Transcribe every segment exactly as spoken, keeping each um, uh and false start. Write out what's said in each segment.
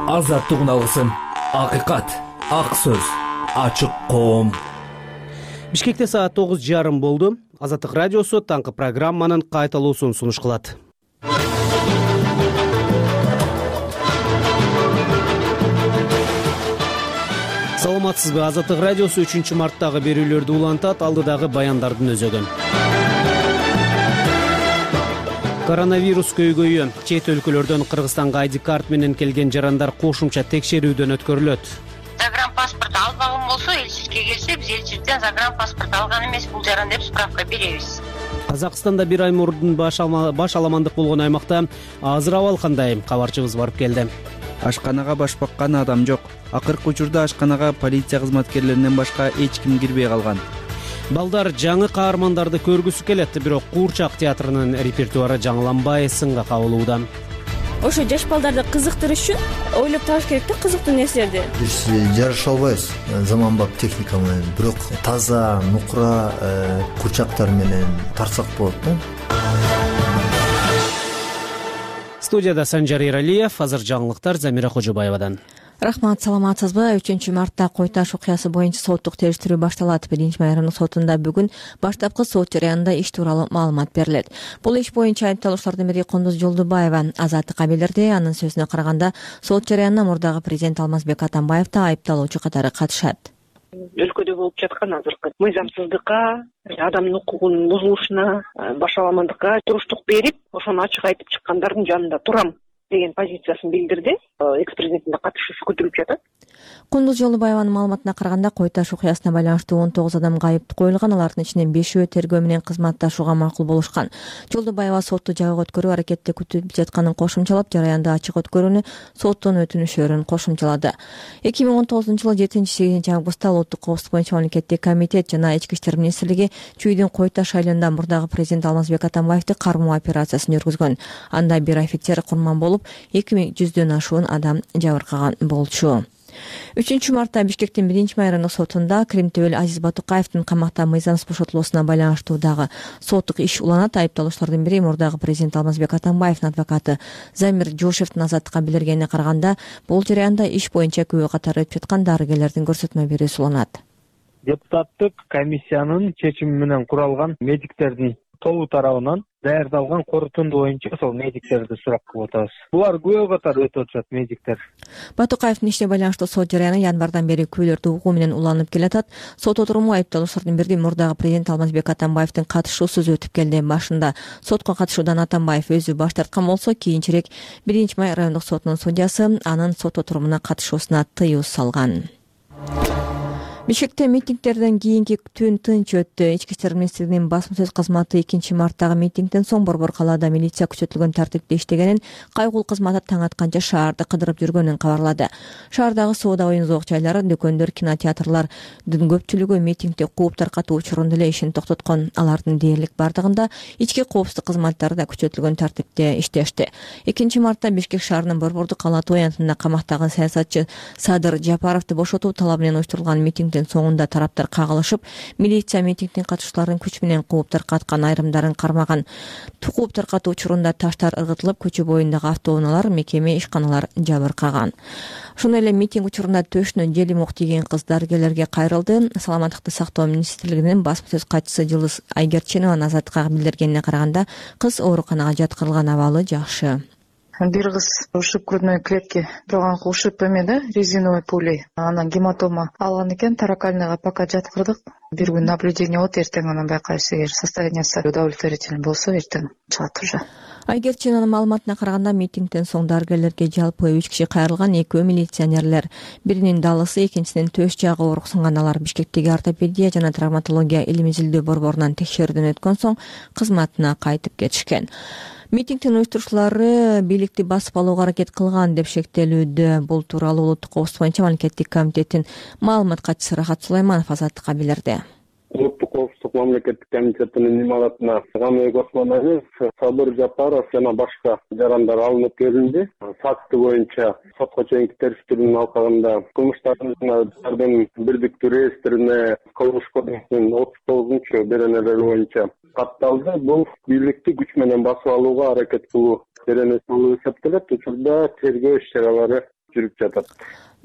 Азаттык алгысым, акыйкат, ак сөз, ачык коом. Бишкекте саат тогуз жарым болду. Азаттык радиосу таңкы программанын кайталуусун сунуш кылат. Саламатсызбы? Азаттык радиосу үчүнчү марттагы берүүлөрдү улантат, алдыдагы баяндардын өзөгөн. Коронавирус көйгөйү. Чет өлкөлөрдөн Кыргызстанга ай ди карт менен келген жарандар кошумча текшерүүдөн өткөрүлөт. Загранпаспорт албаган болсо, элчиликке келсе, биз элчиликтен загранпаспорт алган эмес, бул жаран деп справка беребиз. Казакстанда бир ай мурдун баш аламандык болгон аймакта азыр абал кандай? Кабарчыбыз барып келди. Ашканага баш баккан адам жок. Акыркы учурда ашканага полиция кызматкерлеринен башка эч ким кирбей калган. Балдар жаңы каармандарды көргүсү келет, бирок Куурчак театрынын репертуары жаңыланбай сынга кабылууда. Ошо жаш балдарды кызыктырыш үчүн ойлоп табыш керек да, кызыктуу нерселерди. Биз жарыша албайбыз заманбап техника менен, бирок таза, нукура курчактар менен тартсак болот да. Студияда Санжар Эралиев, азыр жаңылыктар Замира Кожобаевадан. Рахмат, саламатсызбы? үчүнчү мартта Кой Таш окуясы боюнча соттук териштирүү башталат. Биринчи май райондук сотунда бүгүн баштапкы сот жарыянында иш тууралуу маалымат берилет. Бул иш боюнча айыпталуучулардын бири Кундуз Жолдубаева Азаттыкка билдирди. Анын сөзүнө караганда, сот жарыянына мурдагы президент Алмазбек Атамбаев да айыпталуучу катары катышат. Өлкөдө болуп жаткан азыркы мыйзамсыздыкка, адамдын укугунун бузулушуна, баш аламандыкка туруштук берип, ошону ачык айтып чыккандардын жанында турам деген позициясын билдирди. Экс-президенттин катышуусу көтөрүлүп жатат. Кундуз Жолдубаеванын маалыматына караганда, Кой Таш окуясына байланыштуу он тогуз адамга айып коюлган, алардын ичинен бешөө тергөө менен кызматташууга макул болушкан. Жолдубаева сотту жабык өткөрүү аракетте күтүлүп жатканын кошумчалап, жараянды ачык өткөрүүнү соттун өтүнүшөрүн кошумчалады. эки миң он тогузунчу жылы жетинчи сегизинчи августта Улуттук коопсуздук боюнча мамлекеттик комитет жана Ички иштер министрлиги Чүйдүн Кой Таш шайлоонунда мурдагы президент Алмазбек Атамбаевди кармоо операциясын жүргүзгөн. Анда бир офицер курман болуп, эки миң жүздөн ашуун адам жабыркаган болчу. үчүнчү мартта Бишкектин биринчи май райондук сотунда Кримтөбөл Азиз Батукаевдин камакта мыйзамсыз бошотулуусуна байланыштуу дагы соттук иш уланат. Айыпталуучулардын бири мурдагы президент Алмазбек Атамбаевдин адвокаты Замир Жошевдин Азаттыкка билдиргенине караганда, бул жарыянда иш боюнча күбө катары өтүп жаткан дарыгерлердин көрсөтмө берүүсү уланат. Депутаттык комиссиянын чечими менен куралган медиктердин тобу тарабынан даярдалган корутунду боюнча сол медиктерди сурап кылып атабыз. Булар күбө катары өтүп атат медиктер. Батукаевдин ишине байланыштуу сот жарыяны январдан бери күбөлөрдү угуу менен уланып келатат. Сот отуруму айыпталуучулардын бири мурдагы президент Алмазбек Атамбаевдин катышуусуз өтүп келди. Башында сотко катышуудан Атамбаев өзү баш тарткан болсо, кийинчерээк биринчи май райондук сотунун судьясы анын сот отурумуна катышуусуна тыюу салган. Бишкекте митингдерден кийинки түн тынч өттү. Ички иштер министрлигинин басма сөз кызматы экинчи марттагы митингден соң Борбор калаада милиция күчөтүлгөн тартипте иштегенин, кайгул кызматы таң атканча шаарды кыдырып жүргөнүн кабарлады. Шаардагы соода оюн-зоок жайлар, дүкөндөр, кинотеатрлардын көпчүлүгү митингди кууп таркатуу учурунда эле ишин токтоткон. Алардын дээрлик бардыгында ички коопсуздук кызматтары да күчөтүлгөн тартипте иштешти. экинчи мартта Бишкек шаарынын Борбордук калаа тоянтында камактагы саясатчы Садыр Жапаровду бошотуу талабы менен уюштурулган митинг соңунда тараптар кагылышып, милиция митингдин катышууларын күч менен кууп таркаткан, айрымдарын кармаган. Кууп таркатуу учурунда таштар ыргытылып, көчө боюндагы автоунаалар, мекеме, ишканалар жабыркаган. Ошондой эле митинг учурунда төшүнө желим ок тийген кыз дарыгерлерге кайрылды. Саламаттыкты сактоо министрлигинин басма сөз катчысы Жылыз Айгерчинова Азаттыкка билдиргенине караганда, кыз ооруканага жаткырылган, абалы жакшы. Бир кыз ушиб грудной клетки турган ушиб эме да, резиновый пулей. Анан гематома алган экен, таракальныйга пока жаткырдык. Бир күн наблюдение болот, эртең анан байкайбыз, эгер состояниясы удовлетворительный болсо, эртең чыгат уже. Айгерчинованын маалыматына караганда, митингден соң дарыгерлерге жалпы үч киши кайрылган, экөө милиционерлер. Биринин далысы, экинчисинин төш жагы оорук сынган. Алар Бишкектеги ортопедия жана травматология илим изилдөө борборунан текшерүүдөн өткөн соң кызматына кайтып кетишкен. Митингдин уюштуруучулары бийликти басып алууга аракет кылган деп шектелүүдө. Бул тууралуу Улуттук коопсуздук боюнча мамлекеттик комитеттин маалымат катчысы Рахат Сулайманов Азаттыкка билдирди. Улуттук коопсуздук мамлекеттик комитетинин имаратына Гамек Осмонович, Садыр Жапаров жана башка жарандар алынып келинди. Факты боюнча сотко чейинки териштирүүнүн алкагында кылмыштардын бирдиктүү реестрине Кылмыш кодексинин отуз тогузунчу беренелери боюнча катталды. Бул бийликти күч менен басып алууга аракет кылуу беренеси болуп эсептелет. Учурда тергөө иш чаралары жүрүп жатат.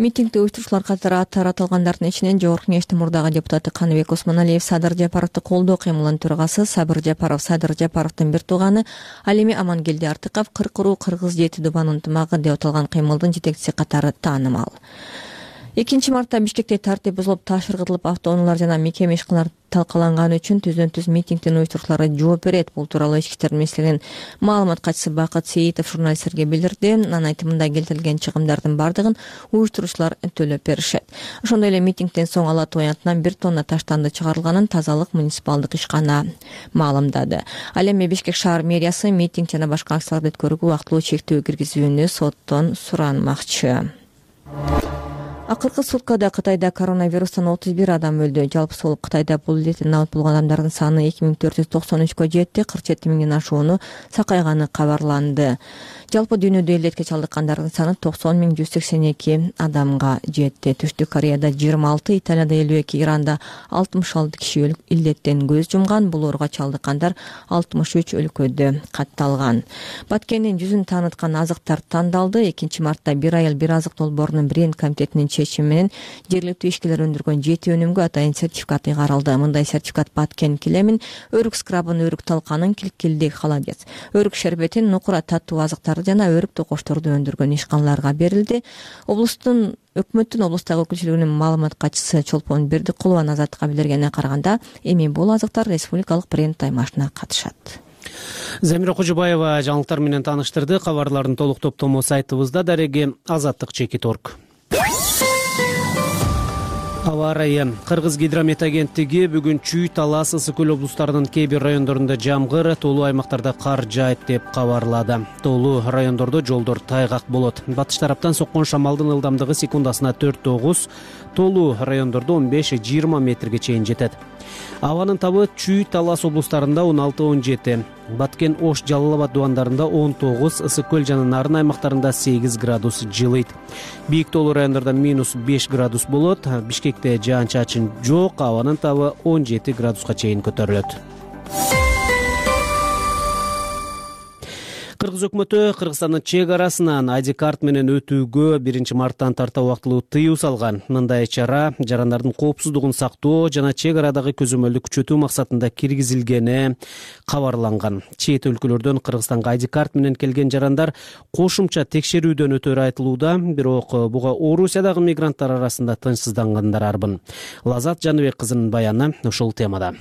Митингди уюштуруучулар катары аттары аталгандардын ичинен Жогорку Кеңештин мурдагы депутаты Каныбек Осмоналиев Садыр Жапаровду колдоо кыймылынын төрагасы, Сабыр Жапаров Садыр Жапаровдун бир тууганы, ал эми Амангелди Артыков кыркыруу кыргыз жети дубан ынтымагы деп аталган кыймылдын жетекчиси катары таанымал. экинчи мартта Бишкекте тартип бузулуп, таш ыргытылып, автоунаалар жана мекеме ишканалар талкаланганы үчүн түздөн түз митингдин уюштуруучулары жооп берет. Бул тууралуу Ички иштер министрлигинин маалымат катчысы Бакыт Сейитов журналисттерге билдирди. Анын айтымында келтирилген чыгымдардын бардыгын уюштуруучулар төлөп беришет. Ошондой эле митингден соң Ала Тоо аянтынан бир тонна таштанды чыгарылганын Тазалык муниципалдык ишкана маалымдады. Ал эми Бишкек шаар мэриясы митинг жана башка акцияларды өткөрүүгө убактылуу чектөө киргизүүнү соттон суранмакчы. Акыркы суткада Кытайда коронавирустан отуз бир адам өлдү. Жалпы сол Кытайда бул илеттен абыт болгон адамдардын саны эки миң төрт жүз токсон үчкө жетти. кырк жети миңден ашууну сакайганы кабарланды. Жалпы дүйнөдө илетке чалдыккандардын саны токсон миң жүз сексен эки адамга жетти. Түштүк Кореяда жыйырма алты, Италияда элүү эки, Иранда алтымыш алты киши илеттен көз жумган. Бул ооруга чалдыккандар алтымыш үч өлкөдө катталган. Баткендин жүзүн тааныткан азыктар тандалды. экинчи мартта бир айыл бир азык долбоорунун бренд комитетинин чечими менен жергиликтүү ишкерлер өндүргөн жети өнүмгө атайын сертификат ыйгарылды. Мындай сертификат Баткен килемин, өрүк скрабын, өрүк талканын, килкилдик холодец, өрүк шербетин, нукура таттуу азыктарды жана өрүк токочторду өндүргөн ишканаларга берилди. Облустун өкмөттүн облустагы өкүлчүлүгүнүн маалымат катчысы Чолпон Бердикулова Азаттыкка билдиргенине караганда, эми бул азыктар республикалык бренд аймашына катышат. Замира Кожобаева жаңылыктар менен тааныштырды. Кабарлардын толук топтому сайтыбызда. Дареги азаттык чекит точка орг. Аба ырайы. Кыргыз гидромет агенттиги бүгүн Чүй, Талас, Ысык көл облустарынын кээ бир райондорунда жамгыр, тоолуу аймактарда кар жаайт деп кабарлады. Тоолуу райондордо жолдор тайгак болот. Батыш тараптан соккон шамалдын ылдамдыгы секундасына төрт тогуз, тоолуу райондордо он беш жыйырма метрге чейин жетет. Абанын табы Чүй, Талас облустарында он алты он жети, Баткен, Ош, Жалал Абад дубандарында он тогуз, Ысык көл жана Нарын аймактарында сегиз градус жылыйт. Бийик тоолуу райондордо минус беш градус болот. Бишкекте жаан-чачын жок, абанын табы он жети градуска чейин көтөрүлөт. Кыргыз өкмөтү Кыргызстандын чек арасынан ай ди карт менен өтүүгө биринчи марттан тарта убактылуу тыюу салган. Мындай чара жарандардын коопсуздугун сактоо жана чек арадагы көзөмөлдү күчөтүү максатында киргизилгени кабарланган. Чет өлкөлөрдөн Кыргызстанга ай ди карт менен келген жарандар кошумча текшерүүдөн өтөрү айтылууда, бирок буга Орусиядагы мигранттар арасында тынчсыздангандар арбын. Лазат Жаныбек кызынын баяны ушул темада.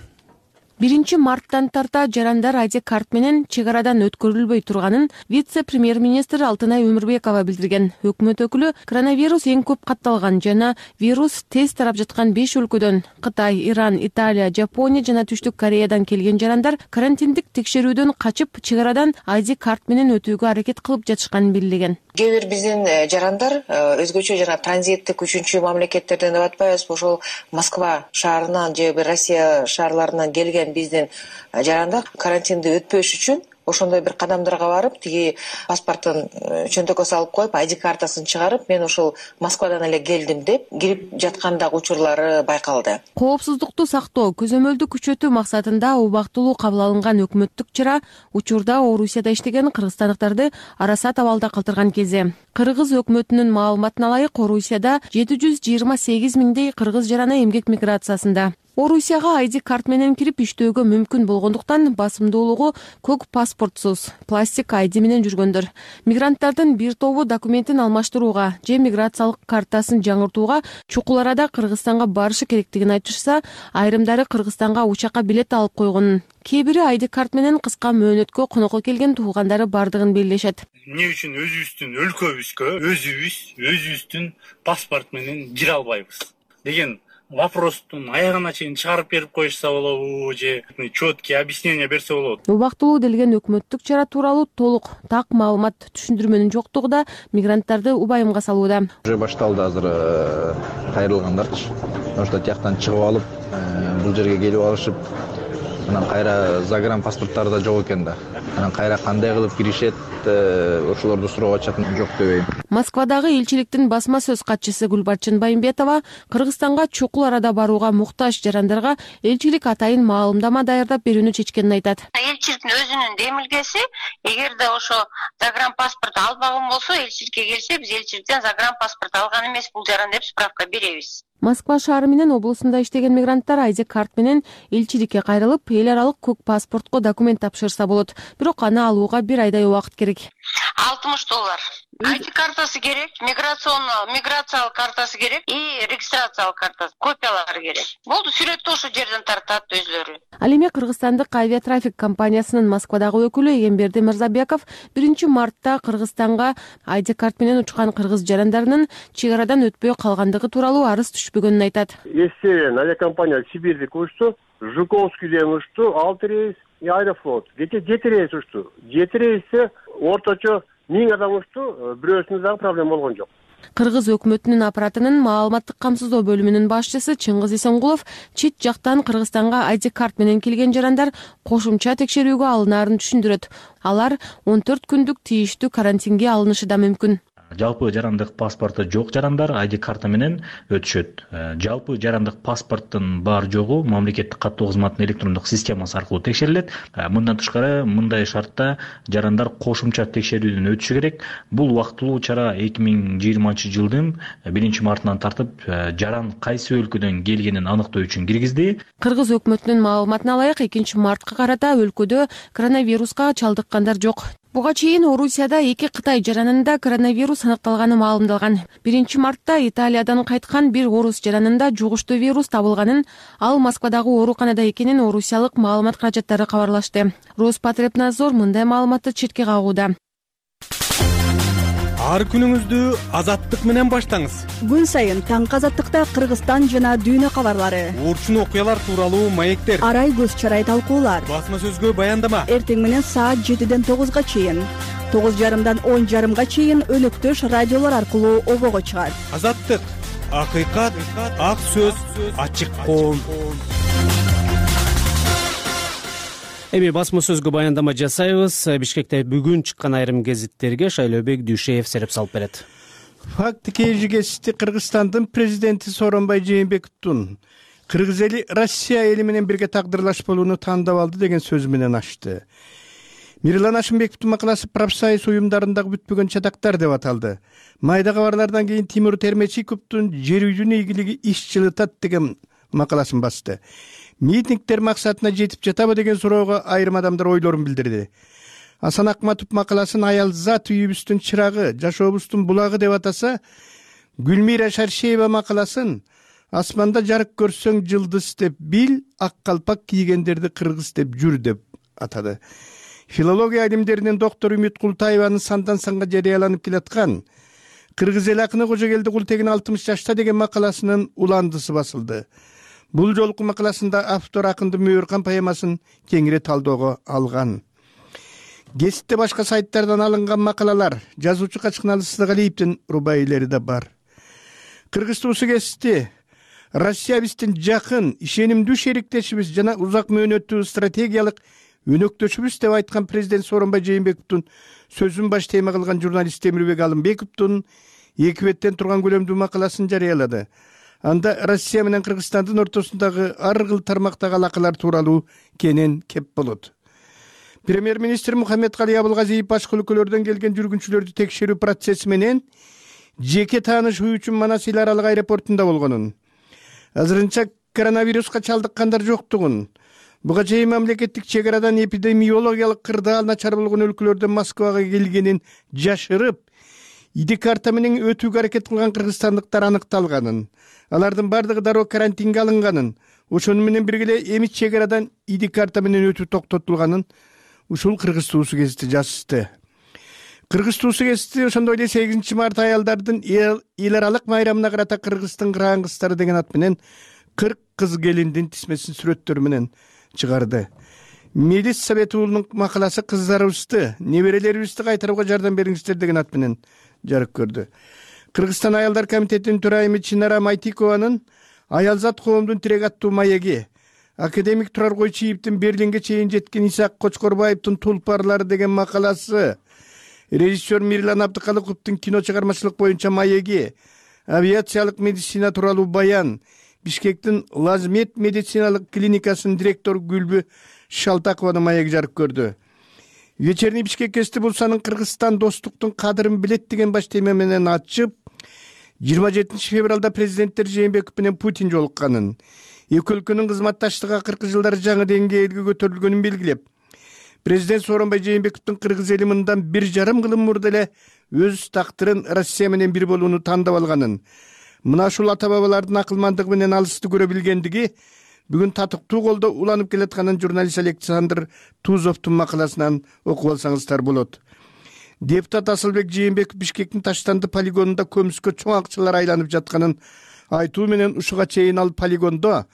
биринчи марттан тарта жарандар ай ди карт менен чек арадан өткөрүлбөй турганын вице-премьер-министр Алтынай Өмүрбекова билдирген. Өкмөт өкүлү коронавирус эң көп катталган жана вирус тез тарап жаткан беш өлкөдөн Кытай, Иран, Италия, Жапония жана Түштүк Кореядан келген жарандар карантиндик текшерүүдөн качып чек арадан ай ди карт менен өтүүгө аракет кылып жатышканын билдирген. Кээ бир биздин жарандар өзгөчө жана транзиттик үчүнчү мамлекеттерден деп атпайбыз, ошол Москва шаарынан же Россия шаарларынан келген биздин жарандар карантинди өтпөш үчүн ошондой бир кадамдарга барып, тиги паспортун чөнтөккө салып коюп, ай ди картасын чыгарып, мен ошол Москвадан эле келдим деп кирип жаткандагы учурлары байкалды. Коопсуздукту сактоо, көзөмөлдү күчөтүү максатында убактылуу кабыл алынган өкмөттүк чара учурда Орусияда иштеген кыргызстандыктарды арасат абалда калтырган кезде. Кыргыз өкмөтүнүн маалыматына ылайык, Орусияда жети жүз жыйырма сегиз миңдей кыргыз жараны эмгек миграциясында. Орусияга ай ди карт менен кирип иштөөгө мүмкүн болгондуктан басымдуулугу көк паспортсуз, пластик ай ди менен жүргөндөр. Мигранттардын бир тобу документин алмаштырууга же миграциялык картасын жаңыртууга чукул арада Кыргызстанга барышы керектигин айтышса, айрымдары Кыргызстанга учакка билет алып койгонун, кээ бири ай ди карт менен кыска мөөнөткө конокко келген туугандары бардыгын белгилешет. Эмне үчүн өзүбүздүн өлкөбүзгө өзүбүз өзүбүздүн паспорт менен кире албайбыз деген вопростун аягына чейин чыгарып берип коюшса болобу же четкий объяснение берсе болот. Убактылуу делген өкмөттүк чара тууралуу толук так маалымат түшүндүрмөнүн жоктугу да мигранттарды убайымга салууда. Уже башталды азыр кайрылгандарчы. Ошто тияктан чыгып алып, бул жерге келип алышып, анан кайра загран паспорттары да жок экен да. Анан кайра кандай кылып киришет, ошолорду суроо ачатын жок дебейм. Москвадагы элчиликтин басма сөз катчысы Гүлбарчын Байымбетова Кыргызстанга чукул арада барууга муктаж жарандарга элчилик атайын маалымдама даярдап берүүнү чечкенин айтат. Элчиликтин өзүнүн демилгеси, эгерде ошо загранпаспорт албаган болсо, элчиликке келсе, биз элчиликтен загранпаспорт алган эмес бул жаран деп справка беребиз. Москва шаары менен облусунда иштеген мигранттар айди карт менен элчиликке кайрылып, эл аралык көк паспортко документ тапшырса болот. Бирок аны алууга бир айдай убакыт керек. алтымыш доллар. айди картасы керек, миграционный, миграциялык картасы керек и регистрациялык картасы, копиялары керек. Болду, сүрөттү ошо жерден тартат өзлөрү. Ал эми Кыргызстандык авиатрафик компаниясынын Москвадагы өкүлү Эгемберди Мырзабеков биринчи мартта Кыргызстанга айди карт менен учкан кыргыз жарандарынын чек арадан өтпөй калгандыгы тууралуу арыз түшпөгөнүн айтат. Если авиакомпания Сибирьдик учту, Жуковскийден учту, алты рейс и Аэрофлот. жети рейс учту. жети рейсте орточо миң адам учту, бирөөсүндө дагы проблема болгон жок. Кыргыз өкмөтүнүн аппаратынын маалыматтык камсыздоо бөлүмүнүн башчысы Чыңгыз Исенгулов чет жактан Кыргызстанга айди карт менен келген жарандар кошумча текшерүүгө алынаарын түшүндүрөт. Алар он төрт күндүк тийиштүү карантинге алынышы да мүмкүн. Жалпы жарандык паспорту жок жарандар айди карта менен өтүшөт. Жалпы жарандык паспорттун бар жогу мамлекеттик каттоо кызматынын электрондук системасы аркылуу текшерилет. Мындан тышкары мындай шартта жарандар кошумча текшерүүдөн өтүшү керек. Бул убактылуу чара эки миң жыйырманчы жылдын биринчи мартынан тартып жаран кайсы өлкөдөн келгенин аныктоо үчүн киргизди. Кыргыз өкмөтүнүн маалыматына ылайык экинчи мартка карата өлкөдө коронавируска чалдыккандар жок. Буга чейин Орусияда эки Кытай жаранында коронавирус аныкталганы маалымдалган. биринчи мартта Италиядан кайткан бир орус жаранында жугуштуу вирус табылганын, ал Москвадагы ооруканада экенин орусиялык маалымат каражаттары кабарлашты. Роспотребнадзор мындай маалыматты четке кагууда. Ар күнүңүздү азаттык менен баштаңыз. Күн сайын таңкы азаттыкта Кыргызстан жана дүйнө кабарлары, урчун окуялар тууралуу маектер, арай көз чарай талкуулар, басма сөзгө баяндама. Эртең менен саат жетиден тогузга чейин, тогуз жарымдан он жарымга чейин өнөктөш радиолор аркылуу обого чыгат. Азаттык, акыйкат, ак сөз, ачык коом. Эми басма сөзгө баяндама жасайбыз. Бишкекте бүгүн чыккан айрым гезиттерге Шайлообек Дүйшеев сереп салып берет. Факт кежигести Кыргызстандын президенти Сооронбай Жээнбековдун кыргыз эли Россия эли менен бирге тагдырлашпалууну тандап алды деген сөзү менен ачты. Мирлан Ашымбековдун макаласы профсоюз уюмдарындагы бүтпөгөн чатактар деп аталды. Майда кабарлардан кийин Тимур Термечиковдун жер үйдүн ийгилиги иш жылытат деген макаласын басты. Митингдер максатына жетип жатабы деген суроого айрым адамдар ойлорун билдирди. Асан Акматов макаласын аялзат үйүбүздүн чырагы, жашообуздун булагы деп атаса, Гүлмира Шаршеева макаласын асманда жарык көрсөң жылдыз деп бил, ак калпак кийгендерди кыргыз деп жүр деп атады. Филология илимдеринин доктору Үмүт Култаеванын сандан санга жарыяланып келаткан Кыргыз эл акыны Кожогелди Култегин алтымыш жашта деген макаласынын уландысы басылды. Бул жолку макаласында автор акындын Мөөркан поэмасын кеңири талоого алган. Гезитте башка сайттардан алынган макалалар, жазуучу Качкыналы Сыздыгалиевдин рубаилери да бар. Кыргыз туусу гезити Россия биздин жакын, ишенимдүү шериктешибиз жана узак мөөнөттүү стратегиялык өнөктөшүбүз деп айткан президент Сооронбай Жээнбековдун сөзүн баш тема кылган журналист Темирбек Алымбековдун эки беттен турган көлөмдүү макаласын жарыялады. Анда Россия менен Кыргызстандын ортосундагы ар кыл тармактагы алакалар тууралуу кенен кеп болот. Премьер-министр Мухаммедкалый Абылгазиев башка өлкөлөрдөн келген жүргүнчүлөрдү текшерүү процесси менен жеке таанышуу үчүн Манас эл аралык аэропортунда болгонун, азырынча коронавируска чалдыккандар жоктугун, буга чейин мамлекеттик чек арадан эпидемиологиялык кырдаал начар болгон өлкөлөрдөн Москвага келгенин жашырып, иди карта менен өтүүгө аракет кылган кыргызстандыктар аныкталганын, алардын бардыгы дароо карантинге алынганын, ошону менен бирге эми чек арадан иди карта менен өтүү токтотулганын ушул Кыргыз туусу гезити жазышты. Кыргыз туусу гезити ошондой эле сегизинчи март аялдардын эл аралык майрамына карата Кыргыздын кырган кыздары деген ат менен кырк кыз келиндин тизмесин сүрөттөрү менен чыгарды. Мелис Совет уулунун макаласы кыздарыбызды, неберелерибизди кайтарууга жардам бериңиздер деген ат менен жарык көрдү. Кыргызстан аялдар комитетинин төрайымы Чинара Майтикованын Аялзат коомдун тирек аттуу маеги, академик Турар Койчиевдин Берлинге чейин жеткен Исаак Кочкорбаевдин Тулпарлары деген макаласы, Режиссер Мирлан Абдыкалыковдун кино чыгармачылык боюнча маеги, авиациялык медицина тууралуу баян, Бишкектин Лазмет медициналык клиникасынын директору Гүлбү Шалтакованын маеги жарык көрдү. Вечерний Бишкек Эсти Булсанын Кыргызстан достуктун кадырын билет деген баш тема менен ачып, жыйырма жетинчи февралда президенттер Жээнбеков менен Путин жолукканын, эки өлкөнүн кызматташтыгы акыркы жылдары жаңы деңгээлге көтөрүлгөнүн белгилеп, президент Сооронбай Жээнбековдун кыргыз эли мындан бир жарым кылым мурда эле өз тактырын Россия менен бир болууну тандап алганын, мына ушул ата бабалардын акылмандыгы менен алысты көрө билгендиги бүгүн татыктуу колдо уланып келатканын журналист Александр Тузовдун макаласынан окуп алсаңыздар болот. Депутат Асылбек Жээнбеков Бишкектин Таштанды полигонунда көмүскө чоң акчалар айланып жатканын айтуу менен ушуга чейин ал полигондо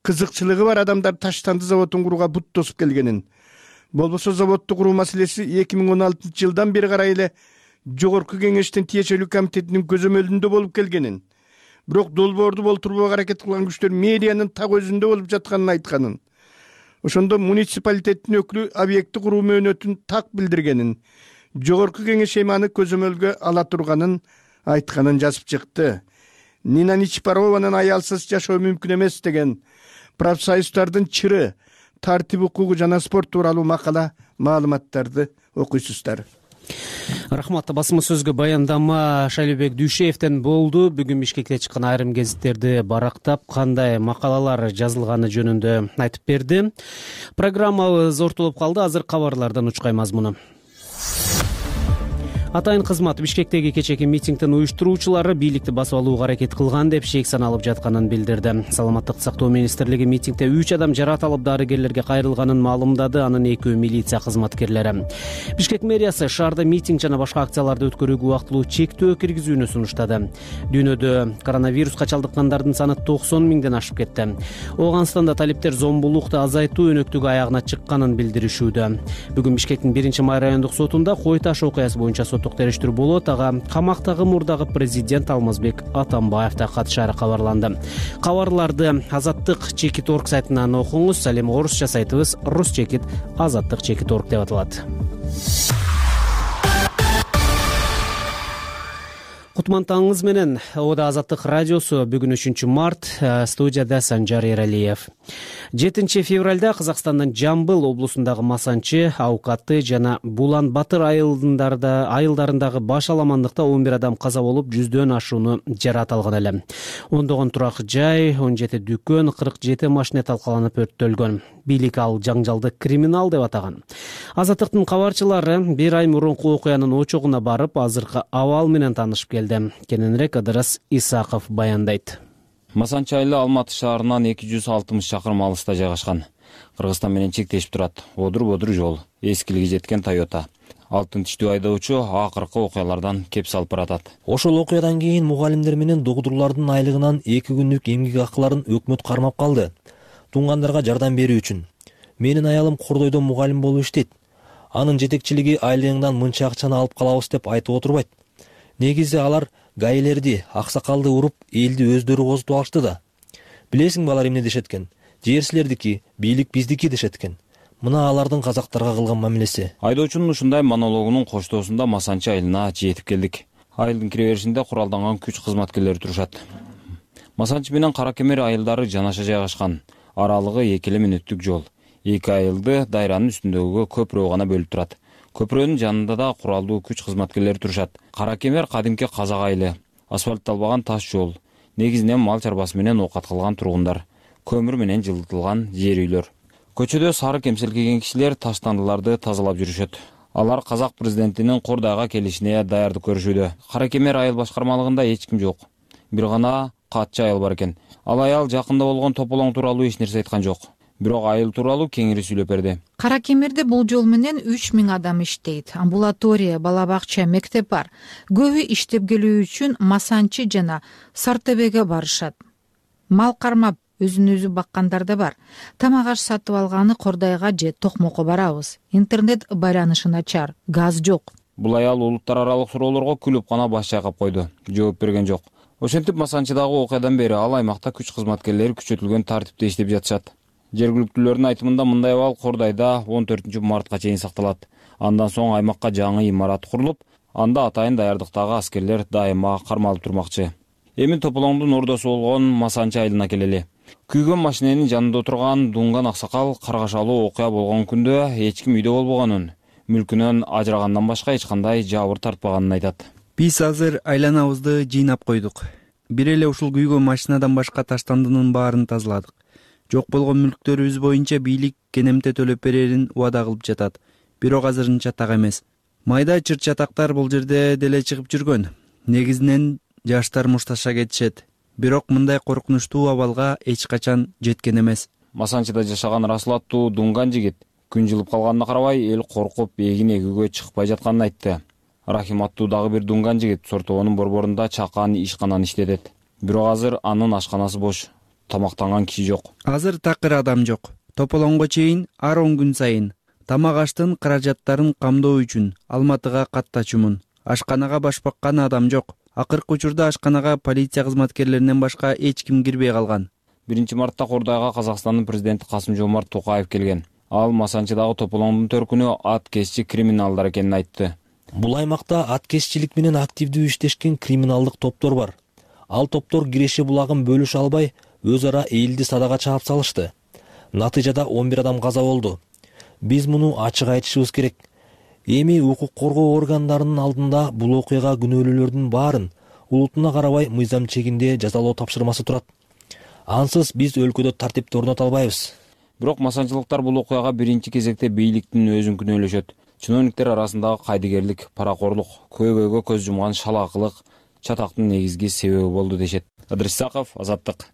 кызыкчылыгы бар адамдар Таштанды заводун курууга бут тосуп келгенин, болбосо заводду куруу маселеси эки миң он алтынчы жылдан бери карай эле Жогорку кеңештин тиешелүү комитетинин көзөмөлүндө болуп келгенин, бирок долбоорду болтурууга аракет кылган күчтөр мэриянын так өзүндө болуп жатканын айтканын, ошондо муниципалитеттин өкүлү объекти куруу мөөнөтүн так билдиргенин, Жогорку кеңеш эми аны көзөмөлгө ала турганын айтканын жазып чыкты. Нина Ничпарованын аялсыз жашоо мүмкүн эмес деген профсоюздардын чыры, тартип укугу жана спорт тууралуу макала маалыматтарды окуйсуздар. Рахмат. Басма сөзгө баяндама Шайлообек Дүйшеевден болду. Бүгүн Бишкекте чыккан айрым гезиттерди барактап, кандай макалалар жазылганы жөнүндө айтып берди. Программабыз ортолоп калды. Азыр кабарлардан учкай мазмуну. Атайын кызмат Бишкектеги кечеки митингдин уюштуруучулары бийликти басып алууга аракет кылган деп шек саналып жатканын билдирди. Саламаттык сактоо министрлиги митингде үч адам жаратылып дарыгерлерге кайрылганын маалымдады. Анын экөө милиция кызматкерлери. Бишкек мэриясы шаарда митинг жана башка акцияларды өткөрүүгө убактылуу чектөө киргизүүнү сунуштады. Дүйнөдө коронавируска чалдыккандардын саны токсон миңден ашып кетти. Ооганстанда талиптер зомбулукту азайтуу өнөктүгү аягына чыкканын билдиришүүдө. Бүгүн Бишкектин биринчи май райондук сотунда Кой таш окуясы боюнча териштирүү болот. Ага камактагы мурдагы президент Алмазбек Атамбаев да катышары кабарланды. Кабарларды Азаттык чекит орг сайтынан окуңуз. Ал эми орусча сайтыбыз рус чекит азаттык чекит орг деп аталат. Кутман менен Ода Азаттык радиосу бүгүн үчүнчү март, студияда Санжар Эралиев. жетинчи февралда Казакстандын Жамбыл облусундагы Масанчы, Аукаты жана Булан Батыр айылдарында айылдарындагы баш аламандыкта он бир адам каза болуп, жүздөн ашууну жаракат алган эле. ондогон турак жай, он жети дүкөн, кырк жети машина талкаланып өрттөлгөн. Бийлик ал жаңжалды криминал деп атаган. Азаттыктын кабарчылары бир ай мурунку окуянын очогуна барып, азыркы абал менен таанышып келди. Кененирээк Ыдырыс Исаков баяндайт. Масанчы айылы Алматы шаарынан эки жүз алтымыш чакырым алыста жайгашкан. Кыргызстан менен чектешип турат. Одур-бодур жол, эскилиги жеткен Тойота. Алтын тиштүү айдоочу акыркы окуялардан кеп салып баратат. Ошол окуядан кийин мугалимдер менен догдурлардын айлыгынан эки күндүк эмгек акыларын өкмөт кармап калды. Туңгандарга жардам берүү үчүн. Менин аялым Кордойдо мугалим болуп иштейт. Анын жетекчилиги айлыгыңдан мынча акчаны алып калабыз деп айтып отурбайт. Негизи алар гайлерди, аксакалды уруп, элди өздөрү козутуп алышты да. Билесиң балар эмне дешет экен? Жер бийлик биздики дешет экен. Мына алардын казактарга кылган мамилеси. Айдоочунун ушундай монологунун коштоосунда Масанчы айылына жетип келдик. Айылдын кире беришинде куралданган күч кызматкерлери турушат. Масанчы менен Кара Кемер айылдары жанаша жайгашкан. Аралыгы эки эле мүнөттүк жол. Эки айылды дайранын үстүндөгү көпүрө гана бөлүп турат. Көпүрөнүн жанында да куралдуу күч кызматкерлери турушат. Кара Кемер кадимки казак айылы, асфальтталбаган таш жол, негизинен мал чарбасы менен оокат кылган тургундар, көмүр менен жылытылган жер үйлөр. Көчөдө сары кемселкеген кишилер таштандыларды тазалап жүрүшөт. Алар казак президентинин Кордойго келишине даярдык көрүшүүдө. Кара Кемер айыл башкармалыгында эч ким жок. Бир гана катчы айыл бар экен. Ал аял жакында болгон тополоң тууралуу эч нерсе айткан жок. Бирок айыл тууралуу кеңири сүйлөп берди. Кара Кемерде бул жол менен үч миң адам иштейт. Амбулатория, бала бакча, мектеп бар. Көбү иштеп келүү үчүн Масанчы жана Сартебеге барышат. Мал кармап өзүн өзү баккандар да бар. Тамак аш сатып алганы Кордойго же Токмокко барабыз. Интернет байланышы начар, газ жок. Бул аял улуттар аралык суроолорго күлүп гана баш чайкап койду. Жооп берген жок. Ошентип Масанчыдагы окуядан бери ал аймакта күч кызматкерлери күчөтүлгөн тартипте иштеп жатышат. Жергиликтүүлөрдүн айтымында мындай абал Кордойдо он төртүнчү мартка чейин сакталат. Андан соң аймакка жаңы имарат курулуп, анда атайын даярдыктагы аскерлер дайыма кармалып турмакчы. Эми Тополоңдун ордосу болгон Масанчы айылына келели. Күйгөн машиненин жанында отурган Дунган аксакал каргашалуу окуя болгон күндө эч ким үйдө болбогонун, мүлкүнөн ажырагандан башка эч кандай жабыр тартпаганын айтат. Биз азыр айланабызды жыйнап койдук. Бир эле ушул күйгөн машинадан башка таштандынын баарын тазаладык. Жок болгон мүлктөрүбүз боюнча бийлик кенемте төлөп берерин убада кылып жатат. Бирок азырынча так эмес. Майда чырт чатактар бул жерде деле чыгып жүргөн. Негизинен жаштар мушташа кетишет. Бирок мындай коркунучтуу абалга эч качан жеткен эмес. Масанчыда жашаган Расул аттуу Дунган жигит күн жылып калганына карабай эл коркуп эгин эгүүгө чыкпай жатканын айтты. Рахим аттуу дагы бир Дунган жигит Сортогонун борборунда чакан ишкананы иштетет. Бирок азыр анын ашканасы бош, тамактанган киши жок. Азыр такыр адам жок. Тополоңго чейин ар он күн сайын тамак аштын каражаттарын камдоо үчүн Алматыга каттачумун. Ашканага баш баккан адам жок. Акыркы учурда ашканага полиция кызматкерлеринен башка эч ким кирбей калган. биринчи мартта Кордойго Казакстандын президенти Касым-Жомарт Токаев келген. Ал Масанчыдагы Тополоңдун төркүнү ат кесчи криминалдар экенин айтты. Бул аймакта ат кесчилик менен активдүү иштешкен криминалдык топтор бар. Ал топтор Киреше булагын бөлүшө албай, өз ара элди садага чаап салышты. Натыйжада он бир адам каза болду. Биз муну ачык айтышыбыз керек. Эми укук коргоо органдарынын алдында бул окуяга күнөөлүүлөрдүн баарын улутуна карабай мыйзам чегинде жазалоо тапшырмасы турат. Ансыз биз өлкөдө тартипти орното албайбыз. Бирок масанчылыктар бул окуяга биринчи кезекте бийликтин өзүн күнөөлөшөт. Чиновниктер арасындагы кайдыгерлик, паракорлук, көйгөйгө көз жумган шалаакылык чатактын негизги себеби болду дешет. Ыдырыс Исаков, Азаттык.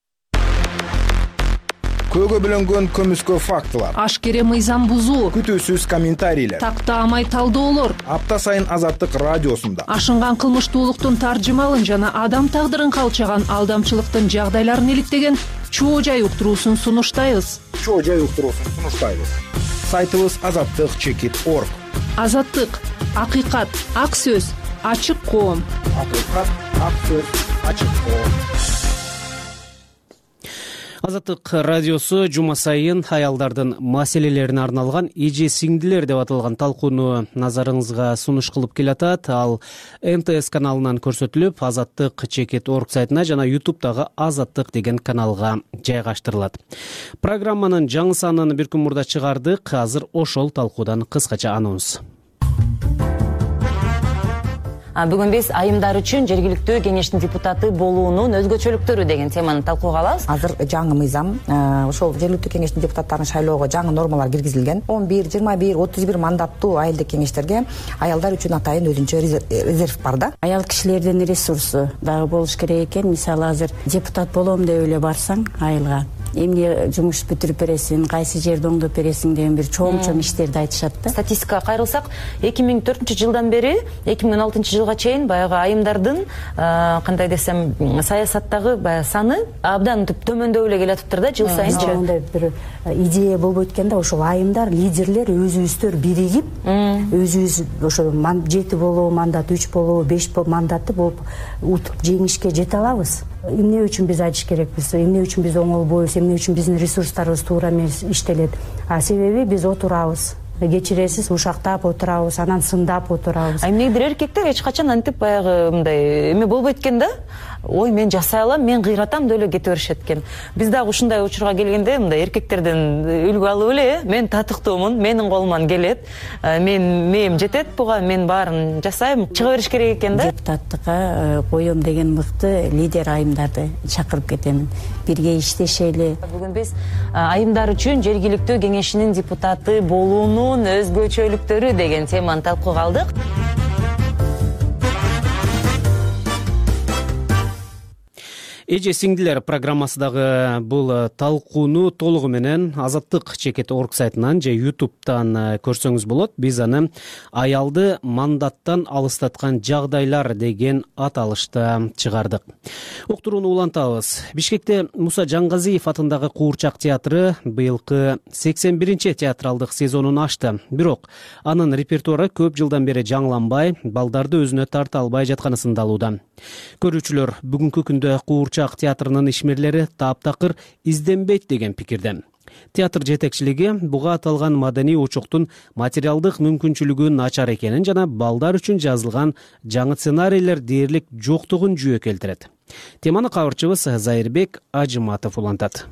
Көөгө бөлөнгөн көмүскө фактылар, ашкере мыйзам бузуу, күтүүсүз комментарийлер, тактаамай талдоолор апта сайын Азаттык радиосунда ашынган кылмыштуулуктун таржымалын жана адам тагдырын калчаган алдамчылыктын жагдайларын иликтеген чоо жай уктуруусун сунуштайбыз. Чоо жай уктуруусун сунуштайбыз. Сайтыбыз азаттык чекит точка орг. Азаттык, акыйкат, ак сөз, ачык коом. Акыйкат, ак сөз, ачык коом. Азаттык радиосу жума сайын аялдардын маселелерине арналган эже сиңдилер деп аталган талкууну назарыңызга сунуш кылып келатат. Ал эн тэ эс каналынан көрсөтүлүп, азаттык чекит точка орг сайтына жана ютубтагы Азаттык деген каналга жайгаштырылат. Программанын жаңы санын бир күн мурда чыгардык. Азыр ошол талкуудан кыскача анонс. Бүгүн биз айымдар үчүн жергиликтүү кеңештин депутаты болуунун өзгөчөлүктөрү деген теманы талкууга алабыз. Азыр жаңы мыйзам, ошол жергиликтүү кеңештин депутаттарын шайлоого жаңы нормалар киргизилген. он бир, жыйырма бир, отуз бир мандаттуу айылдык кеңештерге аялдар үчүн атайын өзүнчө резерв бар да. Аял кишилердин ресурсу дагы болуш керек экен. Мисалы азыр депутат болом деп эле барсаң айылга эмне жумуш бүтүрүп бересиң, кайсы жерди оңдоп бересиң деген бир чоң-чоң иштерди айтышат да. Статистикага кайрылсак, эки миң төртүнчү жылдан бери эки миң он алтынчы жылга чейин баягы айымдардын кандай десем саясаттагы баягы саны абдан төмөндөп эле келатыптыр да жыл сайынчы. Андай бир идея болбойт экен да, ошол айымдар, лидерлер өзүбүздөр биригип, өзүбүз ошо жети болобу мандат, үч болобу, беш мандатты болуп утуп жеңишке жете алабыз. Эмне үчүн биз айтыш керекпиз, эмне үчүн биз оңолбойбуз, эмне үчүн биздин ресурстарыбыз туура эмес иштелет. А себеби биз отурабыз, кечиресиз, ушактап отурабыз, анан сындап отурабыз. А эмнегидир эркектер эч качан антип баягы мындай эме болбойт экен да. Ой, мен жасай алам, мен кыйратам деп эле кете беришет экен. Биз дагы ушундай учурга келгенде мындай эркектерден үлгү алып эле, мен татыктуумун, менин колуман келет, мен мээм жетет буга, мен баарын жасайм, чыга бериш керек экен да. Депутаттыкка коем деген мыкты лидер айымдарды чакырып кетемин. Бирге иштешели. Бүгүн биз айымдар үчүн жергиликтүү кеңешинин депутаты болуунун өзгөчөлүктөрү деген теманы талкууга алдык. Эже сиңдилер программасындагы бул талкууну толугу менен Азаттык чекит точка орг сайтынан же ютубтан көрсөңүз болот. Биз аны аялды мандаттан алыстаткан жагдайлар деген аталышта чыгардык. Уктурууну улантабыз. Бишкекте Муса Жангазиев атындагы Куурчак театры быйылкы сексен биринчи театралдык сезонун ачты. Бирок анын репертуары көп жылдан бери жаңыланбай, балдарды өзүнө тарта албай жатканы сындалууда. Көрүүчүлөр бүгүнкү күндө Куурчак театрынын ишмерлери таптакыр изденбейт деген пикирде. театр жетекчилиги буга аталган маданий очоктун материалдык мүмкүнчүлүгү начар экенин жана балдар үчүн жазылган жаңы сценарийлер дээрлик жоктугун жүйө келтирет. Теманы кабарчыбыз Зайырбек Ажыматов улантат.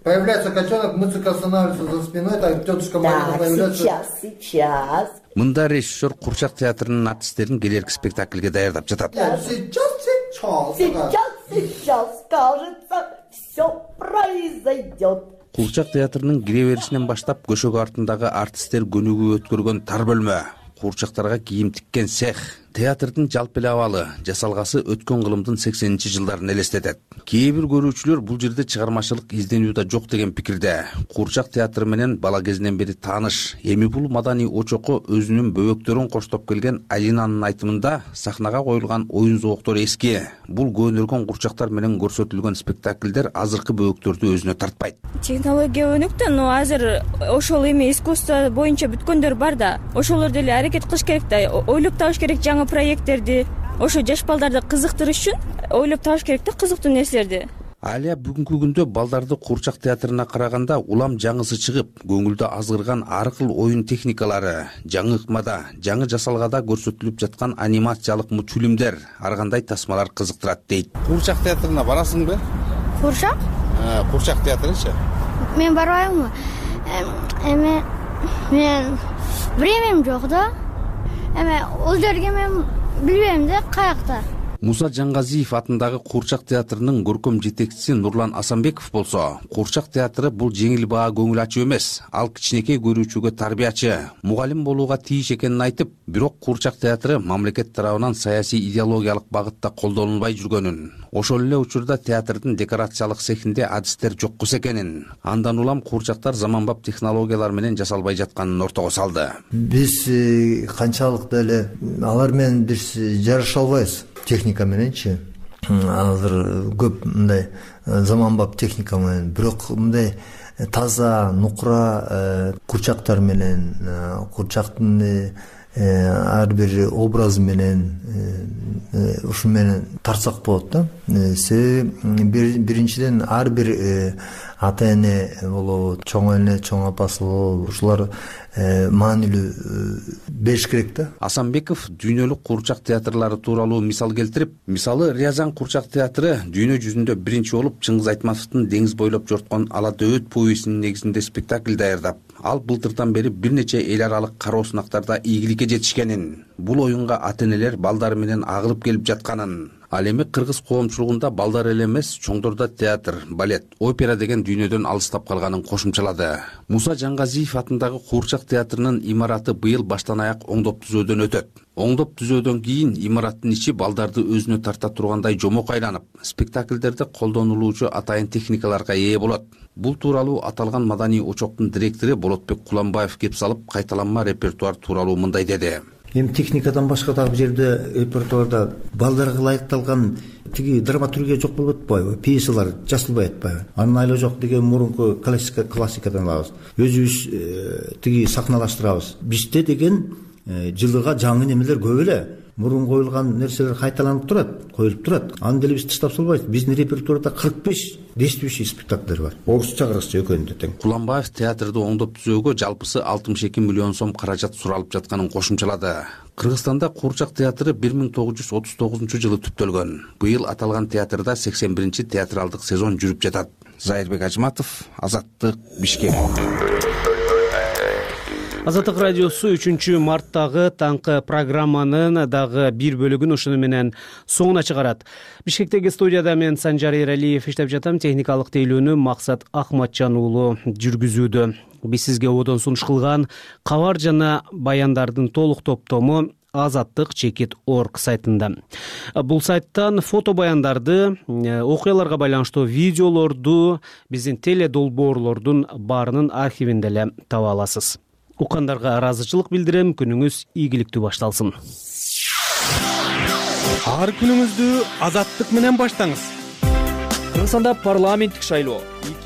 Появляется котенок, музыка останавливается за спиной, так тетушка Марина появляется. Сейчас, сейчас. Мында режиссер Курчак театрынын артисттерин келерки спектакльге даярдап жатат. Сейчас, сейчас. Сейчас, сейчас, кажется, все произойдет. Курчак театрынын кире беришинен баштап көшөгө артындагы артисттер көнүгүү өткөргөн тар бөлмө, курчактарга кийим тиккен цех, театрдын жалпы эле абалы, жасалгасы өткөн кылымдын сексенинчи жылдарын элестетет. Кээ бир көрүүчүлөр бул жерде чыгармачылык изденүү да жок деген пикирде. Курчак театры менен бала кезинен бери тааныш, эми бул маданий очокко өзүнүн бөбөктөрүн коштоп келген Алинанын айтымында сахнага коюлган оюн зооктору эски. Бул көнөргөн курчактар менен көрсөтүлгөн спектакльдер азыркы бөбөктөрдү өзүнө тартпайт. Технология өнүктү, но азыр ошол эми искусство боюнча бүткөндөр бар да. Ошолор деле аракет кылыш керек да, ойлоп табыш керек жаңы проекттерди. Ошо жаш балдарды кызыктырыш үчүн ойлоп табыш керек да кызыктуу нерселерди. Алия бүгүнкү күндө балдарды Курчак театрына караганда улам жаңысы чыгып, көңүлдө азгырган ар кыл оюн техникалары, жаңы ыкмада, жаңы жасалгада көрсөтүлүп жаткан анимациялык мультфильмдер, ар кандай тасмалар кызыктырат дейт. Курчак театрына барасыңбы? Курчак? Курчак театрычы? Мен барбайммы? Эми мен времям жок да. Эми ал жерге мен билбейм да каякта. Муса Жаңгазиев атындагы Курчак театрынын көркөм жетекчиси Нурлан Асанбеков болсо, Курчак театры бул жеңил баа көңүл ачуу эмес, ал кичинекей көрүүчүгө тарбиячы, мугалим болууга тийиш экенин айтып, бирок Курчак театры мамлекет тарабынан саясий идеологиялык багытта колдонулбай жүргөнүн, ошол эле учурда театрдын декорациялык цехинде адистер жоккус экенин, андан улам курчактар заманбап технологиялар менен жасалбай жатканын ортого салды. Биз канчалык деле алар менен биз жараша албайбыз. Техника мененчи азыр көп мындай заманбап техника менен, бирок мындай таза нукура курчактар менен, курчактын ар бир образы менен ушу менен тартсак болот да. Себеби биринчиден ар бир ата эне болобу, чоң эне, чоң апасы болобу, ушулар маанилүү бериш керек да. Асанбеков дүйнөлүк курчак театрлары тууралуу мисал келтирип, мисалы Рязань курчак театры дүйнө жүзүндө биринчи болуп Чыңгыз Айтматовдун деңиз бойлоп жорткон Ала дөбөт повестинин негизинде спектакль даярдап, ал былтырдан бери бир нече эл аралык кароо сынактарда ийгиликке жетишкенин, бул оюнга ата энелер балдары менен агылып келип жатканын, ал эми кыргыз коомчулугунда балдар эле эмес, чоңдорда театр, балет, опера деген дүйнөдөн алыстап калганын кошумчалады. Муса Жаңгазиев атындагы Курчак театрынын имараты быйыл баштан аяк оңдоп түзөөдөн өтөт. Оңдоп түзөөдөн кийин имараттын ичи балдарды өзүнө тарта тургандай жомок айланып, спектакльдерде колдонулуучу атайын техникаларга ээ болот. Бул тууралуу аталган маданий очоктун директору Болотбек Куламбаев кеп салып, кайталанма репертуар тууралуу мындай деди. Эми техникадан башка дагы бул жерде репертуарда балдарга ылайыкталган тиги драматургия жок болуп атпайбы, пьесалар жазылбай атпайбы. Анын айла жок деген мурунку классика классикадан алабыз. Өзүбүз тиги сахналаштырабыз. Бизде деген жылыга жаңы немелер көп эле. Мурун коюлган нерселер кайталанып турат, коюлуп турат. Аны деле биз таштап салбайбыз. Биздин репертуарда кырк беш действующий спектакльдер бар. Орусча кыргызча экөөнү тең. Куламбаев театрды оңдоп түзөөгө жалпысы алтымыш эки миллион сом каражат суралып жатканын кошумчалады. Кыргызстанда Курчак театры бир миң тогуз жүз отуз тогузунчу жылы түптөлгөн. Быйыл аталган театрда сексен биринчи театралдык сезон жүрүп жатат. Зайырбек Ажыматов, Азаттык, Бишкек. Азаттык радиосу үчүнчү марттагы таңкы программанын дагы бир бөлүгүн ушуну менен соңуна чыгарат. Бишкектеги студияда мен Санжар Эралиев иштеп жатам. Техникалык тейлөөнү Максат Ахматжан уулу жүргүзүүдө. Биз сизге одон сунуш кылган кабар жана баяндардын толук топтому азаттык чекит точка орг сайтында. Бул сайттан фото баяндарды, окуяларга байланыштуу видеолорду, биздин теле долбоорлордун баарынын архивинде эле таба аласыз. Уккандарга ыраазычылык билдирем. Күнүңүз ийгиликтүү башталсын. Ар күнүңүздү азаттык менен баштаңыз. Кыргызстанда парламенттик шайлоо.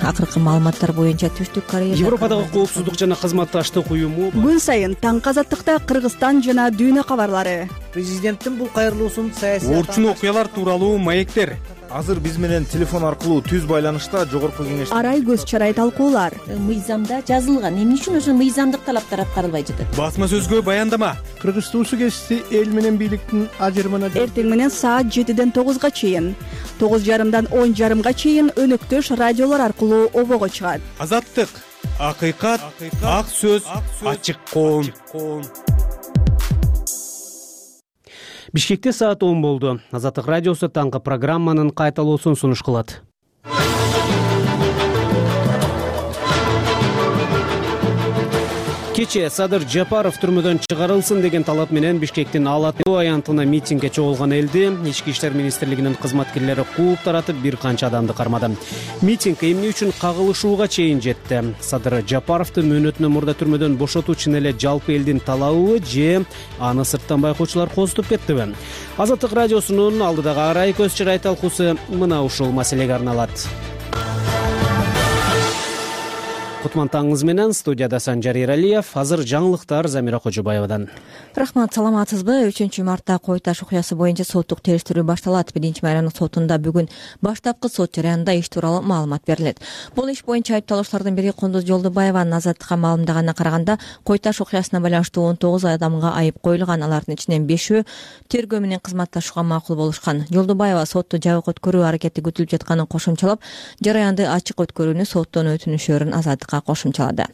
Акыркы маалыматтар боюнча Түштүк Корея Европадагы коопсуздук жана кызматташтык уюму күн сайын таңкы азаттыкта Кыргызстан жана дүйнө кабарлары. Президенттин бул кайрылуусун саясий орчун окуялар тууралуу маектер. азыр биз менен телефон аркылуу түз байланышта жогорку кеңеш арай көз чарай талкуулар. Мыйзамда жазылган, эмне үчүн ошо мыйзамдык талаптар аткарылбай жатат? Басма сөзгө баяндама. Кыргыз туусу кести эл менен бийликтин ажырымына Эртең менен саат жетиден тогузга чейин, тогуз жарымдан он жарымга чейин өнөктөш радиолор аркылуу обого чыгат. Азаттык, акыйкат, ак сөз, ачык коом. Бишкекте саат он болду. Азаттык радиосу таңкы программанын кайталоосун сунуш кылат. Кечээ Садыр Жапаров түрмөдөн чыгарылсын деген талап менен Бишкектин Ала Тоо аянтына митингге чогулган элди Ички иштер министрлигинин кызматкерлери кууп таратып бир канча адамды кармады. Митинг эмне үчүн кагылышууга чейин жетти? Садыр Жапаровду мөөнөтүнөн мурда түрмөдөн бошотуу чын эле жалпы элдин талабыбы же аны сырттан байкоочулар козутуп кеттиби? Азаттык радиосунун алдыдагы арай көз чырай талкуусу мына ушул маселеге арналат. Кутман таңыңыз менен студияда Санжар Эралиев, азыр жаңылыктар Замира Кожобаевадан. Рахмат, саламатсызбы? үчүнчү мартта Кой Таш окуясы боюнча соттук териштирүү башталат. Биринчи майрандык сотунда бүгүн баштапкы сот жарыянында иш тууралуу маалымат берилет. Бул иш боюнча айыпталуучулардын бири Кундуз Жолдубаеванын Азаттыкка маалымдаганына караганда, Кой Таш окуясына байланыштуу он тогуз адамга айып коюлган, алардын ичинен бешөө тергөө менен кызматташууга макул болушкан. Жолдубаева сотто жабык өткөрүү аракети күтүлүп жатканын кошумчалап, жарыянды ачык өткөрүүнү соттон өтүнүшөрүн Азаттыкка кошумчалады.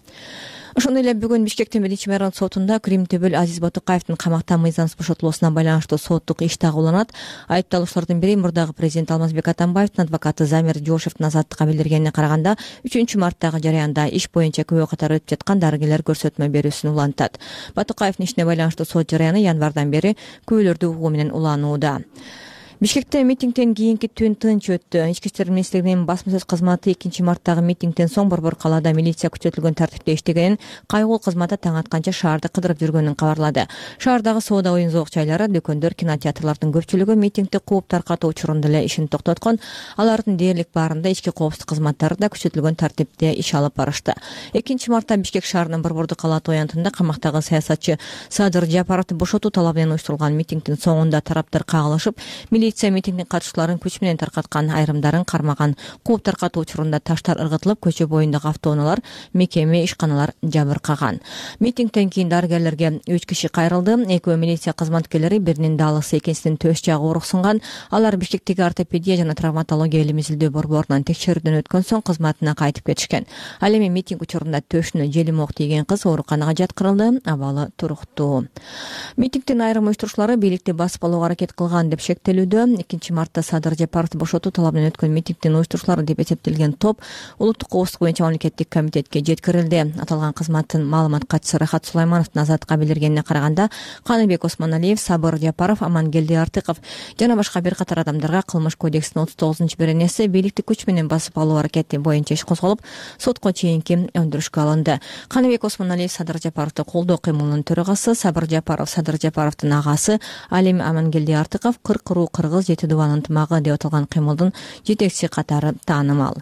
Ошондой эле бүгүн Бишкектин биринчи майрандык сотунда Крим Төбөл Азиз Батукаевдин камактан мыйзамсыз бошотулуусуна байланыштуу соттук иш дагы уланат. Айыпталуучулардын бири мурдагы президент Алмазбек Атамбаевдин адвокаты Замир Жошевдин Азаттыкка билдиргенине караганда, үчүнчү марттагы жарыянда иш боюнча күбө катары өтүп жаткан дарыгерлер көрсөтмө берүүсүн улантат. Батукаевдин ишине байланыштуу сот жарыяны январдан бери күбөлөрдү угуу менен уланууда. Бишкекте митингден кийинки түн тынч өттү. Ички иштер министрлигинин басма сөз кызматы экинчи марттагы митингден соң Борбор калаада милиция күчөтүлгөн тартипте иштегенин, кайгуу кызматы таң атканча шаарды кыдырып жүргөнүн кабарлады. Шаардагы соода оюн зоок жайлары, дүкөндөр, кинотеатрлардын көпчүлүгү митингди кууп таркатуу учурунда эле ишин токтоткон. Алардын дээрлик баарында ички коопсуздук кызматтары да күчөтүлгөн тартипте иш алып барышты. экинчи мартта Бишкек шаарынын Борбордук кала аянтында камактагы саясатчы Садыр Жапаровду бошотуу талабы менен уюштурулган митингдин соңунда тараптар кагылышып, милиция митингдин катышууларын күч менен таркаткан, айрымдарын кармаган. Кууп таркатуу учурунда таштар ыргытылып, көчө боюндагы автоунаалар, мекеме, ишканалар жабыркаган. Митингден кийин дарыгерлерге үч киши кайрылды. Экөө милиция кызматкерлери, биринин даалысы, экинчисинин төш жагы ооруксунган. Алар Бишкектеги ортопедия жана травматология илим изилдөө борборунан текшерүүдөн өткөн соң кызматына кайтып кетишкен. Ал эми митинг учурунда төшүнө желим ок тийген кыз ооруканага жаткырылды, абалы туруктуу. Митингдин айрым уюштуруучулары бийликти басып алууга аракет кылган деп шектелүүдө. экинчи мартта Садыр Жапаровду бошотуу талабы менен өткөн митингдин уюштуруучулары деп эсептелген топ улуттук коопсуздук боюнча мамлекеттик комитетке жеткирилди. Аталган кызматтын маалымат катчысы Рахат Сулаймановдун Азаттыкка билдиргенине караганда, Каныбек Осмоналиев, Сабыр Жапаров, Амангелди Артыков жана башка бир катар адамдарга Кылмыш кодексинин отуз тогузунчу беренеси бийликти күч менен басып алуу аракети боюнча иш козголуп, сотко чейинки өндүрүшкө алынды. Каныбек Осмоналиев Садыр Жапаровду колдоо кыймылынын төрагасы, Сабыр Жапаров Садыр Жапаровдун агасы, ал эми Амангелди Артыков кыркыруу кыргыз жети дубан ынтымагы деп аталган кыймылдын жетекчиси катары таанымал.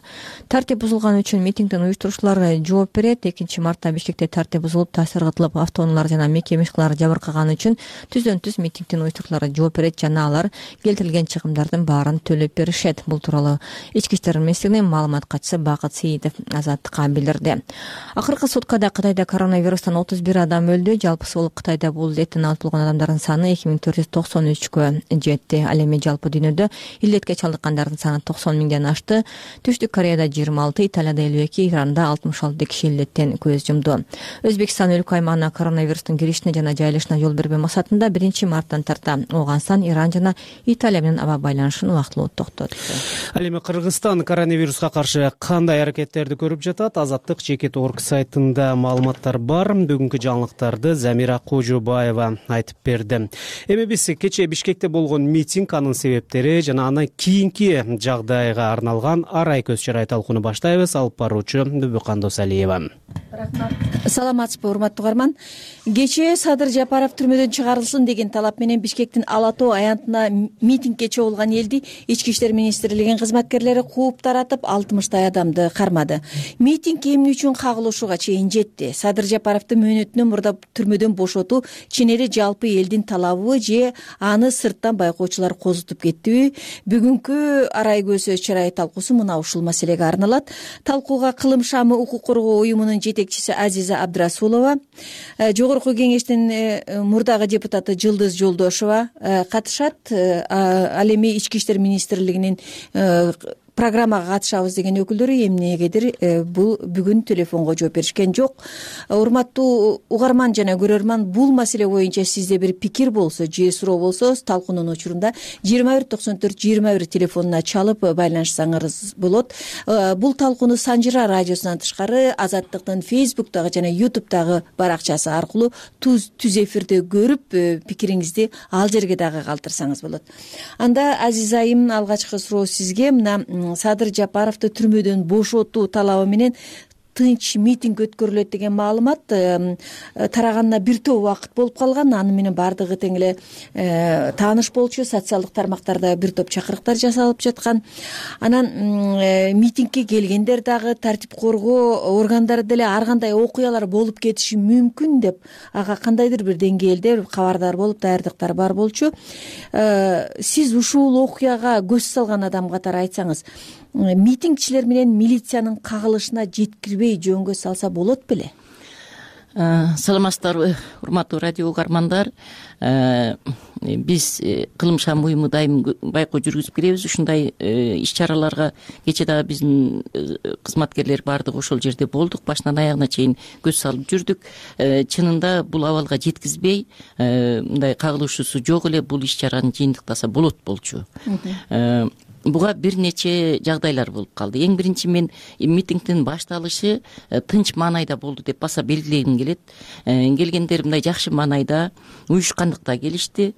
Тартип бузулган үчүн митингдин уюштуруучулары жооп берет. экинчи мартта Бишкекте тартип бузулуп, таш ыргытылып, автоунаалар жана мекеме ишканалар жабыркаганы үчүн түздөн түз митингдин уюштуруучулары жооп берет жана алар келтирилген чыгымдардын баарын төлөп беришет. Бул тууралуу Ички иштер министрлигинин маалымат катчысы Бакыт Сейитов Азаттыкка билдирди. Акыркы суткада Кытайда коронавирустан отуз бир адам өлдү. Жалпысы болуп Кытайда бул илдеттен алып адамдардын саны эки миң төрт жүз токсон үчкө жетти. Ал эми жалпы дүйнөдө илдетке чалдыккандардын саны токсон миңден ашты. Түштүк Кореяда жыйырма алты, Италияда элүү эки, Иранда алтымыш алты киши илдеттен көз жумду. Өзбекстан өлкө аймагына коронавирустун киришине жана жайылышына жол бербөө максатында биринчи марттан тарта Ооганстан, Иран жана Италия менен аба байланышын убактылуу токтотту. Ал эми Кыргызстан коронавируска каршы кандай аракеттерди көрүп жатат? Азаттык чекит орг сайтында маалыматтар бар. Бүгүнкү жаңылыктарды Замира Кожобаева айтып берди. Эми биз кечээ Бишкекте болгон митинг, анын себептери жана андан кийинки жагдайга арналган арай көз чырай талкууну баштайбыз. Алып баруучу Бүбүкан Досалиева. Рахмат. Саламатсызбы, урматтуу угарман. Кечээ Садыр Жапаров түрмөдөн чыгарылсын деген талап менен Бишкектин Ала Тоо аянтына митингге чогулган элди Ички иштер министрлигинин кызматкерлери кууп таратып, алтымыштай адамды кармады. Митинг эмне үчүн кагылышууга чейин жетти? Садыр Жапаровду мөөнөтүнөн мурда түрмөдөн бошотуу чын эле жалпы элдин талабыбы же аны сырттан байкоочулар козутуп кеттиби? Бүгүнкү арай көзөз чырай талкуусу мына ушул маселеге арналат. Талкууга Кылым шамы укук коргоо уюмунун жетекчиси Азиза Абдрасулова, жогорку кеңештин мурдагы депутаты Жылдыз Жолдошова катышат. Ал эми ички иштер министрлигинин программага катышабыз деген өкүлдөрү эмнегедир бул бүгүн телефонго жооп беришкен жок. Урматтуу угарман жана көрөрман, бул маселе боюнча сизде бир пикир болсо же суроо болсо талкуунун учурунда жыйырма бир токсон төрт жыйырма бир телефонуна чалып байланышсаңыз болот. Бул талкууну Санжыра радиосунан тышкары Азаттыктын Фейсбуктагы жана Ютубтагы баракчасы аркылуу түз эфирде көрүп пикириңизди ал жерге дагы калтырсаңыз болот. Анда Азиз айым, алгачкы суроо сизге. Мына Садыр Жапаровду түрмөдөн бошотуу талабы менен тынч митинг өткөрүлөт деген маалымат тараганына бир топ убакыт болуп калган. Аны менен баардыгы тең эле тааныш болчу, социалдык тармактарда бир топ чакырыктар жасалып жаткан. Анан митингке келгендер дагы тартип коргоо органдары деле ар кандай окуялар болуп кетиши мүмкүн деп ага кандайдыр бир деңгээлде кабардар болуп даярдыктар бар болчу. Сиз ушул окуяга көз салган адам катары айтсаңыз, митингчилер менен милициянын кагылышына жеткирбей жөнгө салса болот беле? Саламатсыздарбы, урматтуу радио угармандар. Биз Кылым шам уюму дайым байкоо жүргүзүп келебиз. Ушундай иш-чараларга кечээ дагы биздин кызматкерлер баардыгы ошол жерде болдук. Башынан аягына чейин көз салып жүрдүк. Чынында бул абалга жеткизбей, мындай кагылышуусу жок эле бул иш-чараны жыйынтыктаса болот болчу. Буга бир нече жагдайлар болуп калды. Эң биринчи, мен митингдин башталышы тынч маанайда болду деп баса белгилегим келет. Келгендер мындай жакшы маанайда, уюшкандыкта келишти.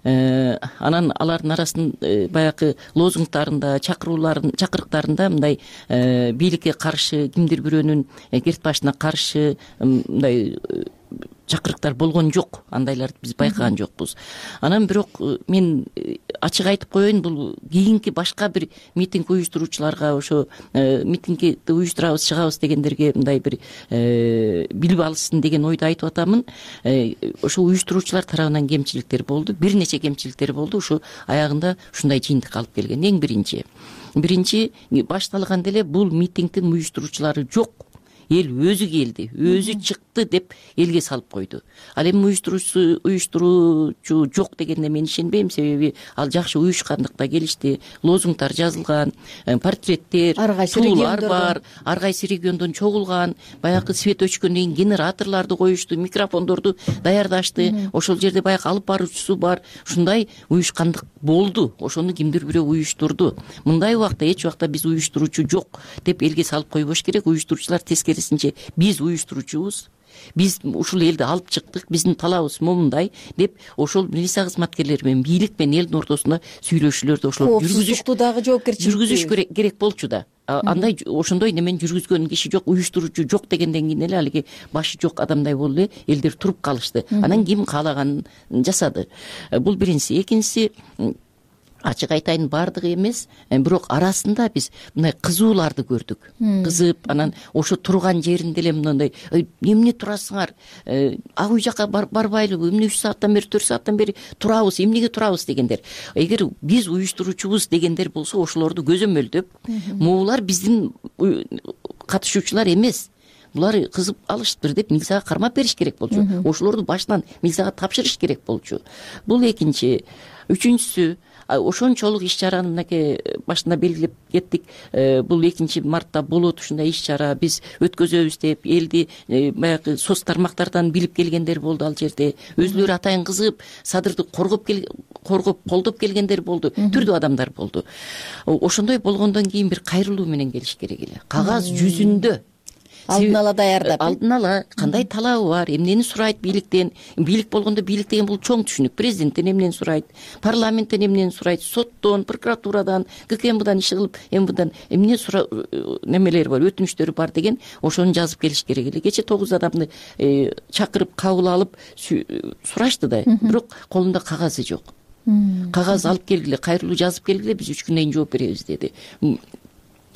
Анан алардын арасында баягы лозунгтарында, чакырууларын, чакырыктарында мындай бийликке каршы, кимдир бирөөнүн керт башына каршы мындай чакырыктар болгон жок. Андайларды биз байкаган жокпуз. Анан бирок мен ачык айтып коеюн, бул кийинки башка бир митинг уюштуруучуларга, ошо митингди уюштурабыз, чыгабыз дегендерге мындай бир билип алышсын деген ойду айтып атамын. Ошо уюштуруучулар тарабынан кемчиликтер болду, бир нече кемчиликтер болду. Ушу аягында ушундай жыйынтыкка алып келген. Эң биринчи биринчи башталганда эле бул митингдин уюштуруучулары жок. Эл өзү келди, өзү чыкты деп элге салып койду. Ал эми уюштуруучу уюштуруучу жок дегенде мен ишенбейм, себеби ал жакшы уюшкандыкта келишти. Лозунгтар жазылган, портреттер, туулар бар, ар кайсы региондон чогулган, баягы свет өчкөндөн кийин генераторлорду коюшту, микрофондорду даярдашты. Ошол жерде баягы алып баруучусу бар. Ушундай уюшкандык болду. Ошону кимдир бирөө уюштурду. Мындай убакта эч убакта биз уюштуруучу жок деп элге салып койбош керек. Уюштуруучулар тескери биз уюштуруучубуз, биз ушул элди алып чыктык, биздин талабыбыз момундай деп ошол милиция кызматкерлери менен бийлик менен элдин ортосунда сүйлөшүүлөрдү ошол жүргүзүш дагы жоопкерчилик жүргүзүш керек болчу да. Андай ошондой немен жүргүзгөн киши жок, уюштуруучу жок дегенден кийин эле алиги башы жок адамдай болду эле элдер туруп калышты. Анан ким каалаганын жасады. Бул биринчиси. Экинчиси, ачык айтайын, баардыгы эмес, бирок арасында биз мындай кызууларды көрдүк. Кызып, анан ошо турган жеринде эле мындай эмне турасыңар, ак үй жака барбайлыбы, эмне үч сааттан бери, төрт сааттан бери турабыз, эмнеге турабыз дегендер. Эгер биз уюштуруучубуз дегендер болсо, ошолорду көзөмөлдөп, могулар биздин катышуучулар эмес, булар кызып алыштыр деп милицияга кармап бериш керек болчу. Ошолорду башынан милицияга тапшырыш керек болчу. Бул экинчи. Үчүнчүсү, ошончолук иш-чараны мынакей башында белгилеп кеттик. Бул экинчи мартта болот ушундай иш-чара, биз өткөзөбүз деп элди баягы соц тармактардан билип келгендер болду. Ал жерде өзүлөрү атайын кызыгып, Садырды коргоп коргоп колдоп келгендер болду, түрдүү адамдар болду. Ошондой болгондон кийин бир кайрылуу менен келиш керек эле. Кагаз жүзүндө алдын ала даярдап, алдын ала кандай талабы бар, эмнени сурайт бийликтен. Бийлик болгондо бийлик деген бул чоң түшүнүк. Президенттен эмнени сурайт, парламенттен эмнени сурайт, соттон, прокуратурадан, ГКМБдан иш кылып, МВдан эмне сура немелери бар, өтүнүчтөрү бар деген ошону жазып келиш керек эле. Кече тогуз адамды чакырып кабыл алып сурашты да, бирок колунда кагазы жок. Кагаз алып келгиле, кайрылуу жазып келгиле, биз үч күндөн кийин жооп беребиз деди.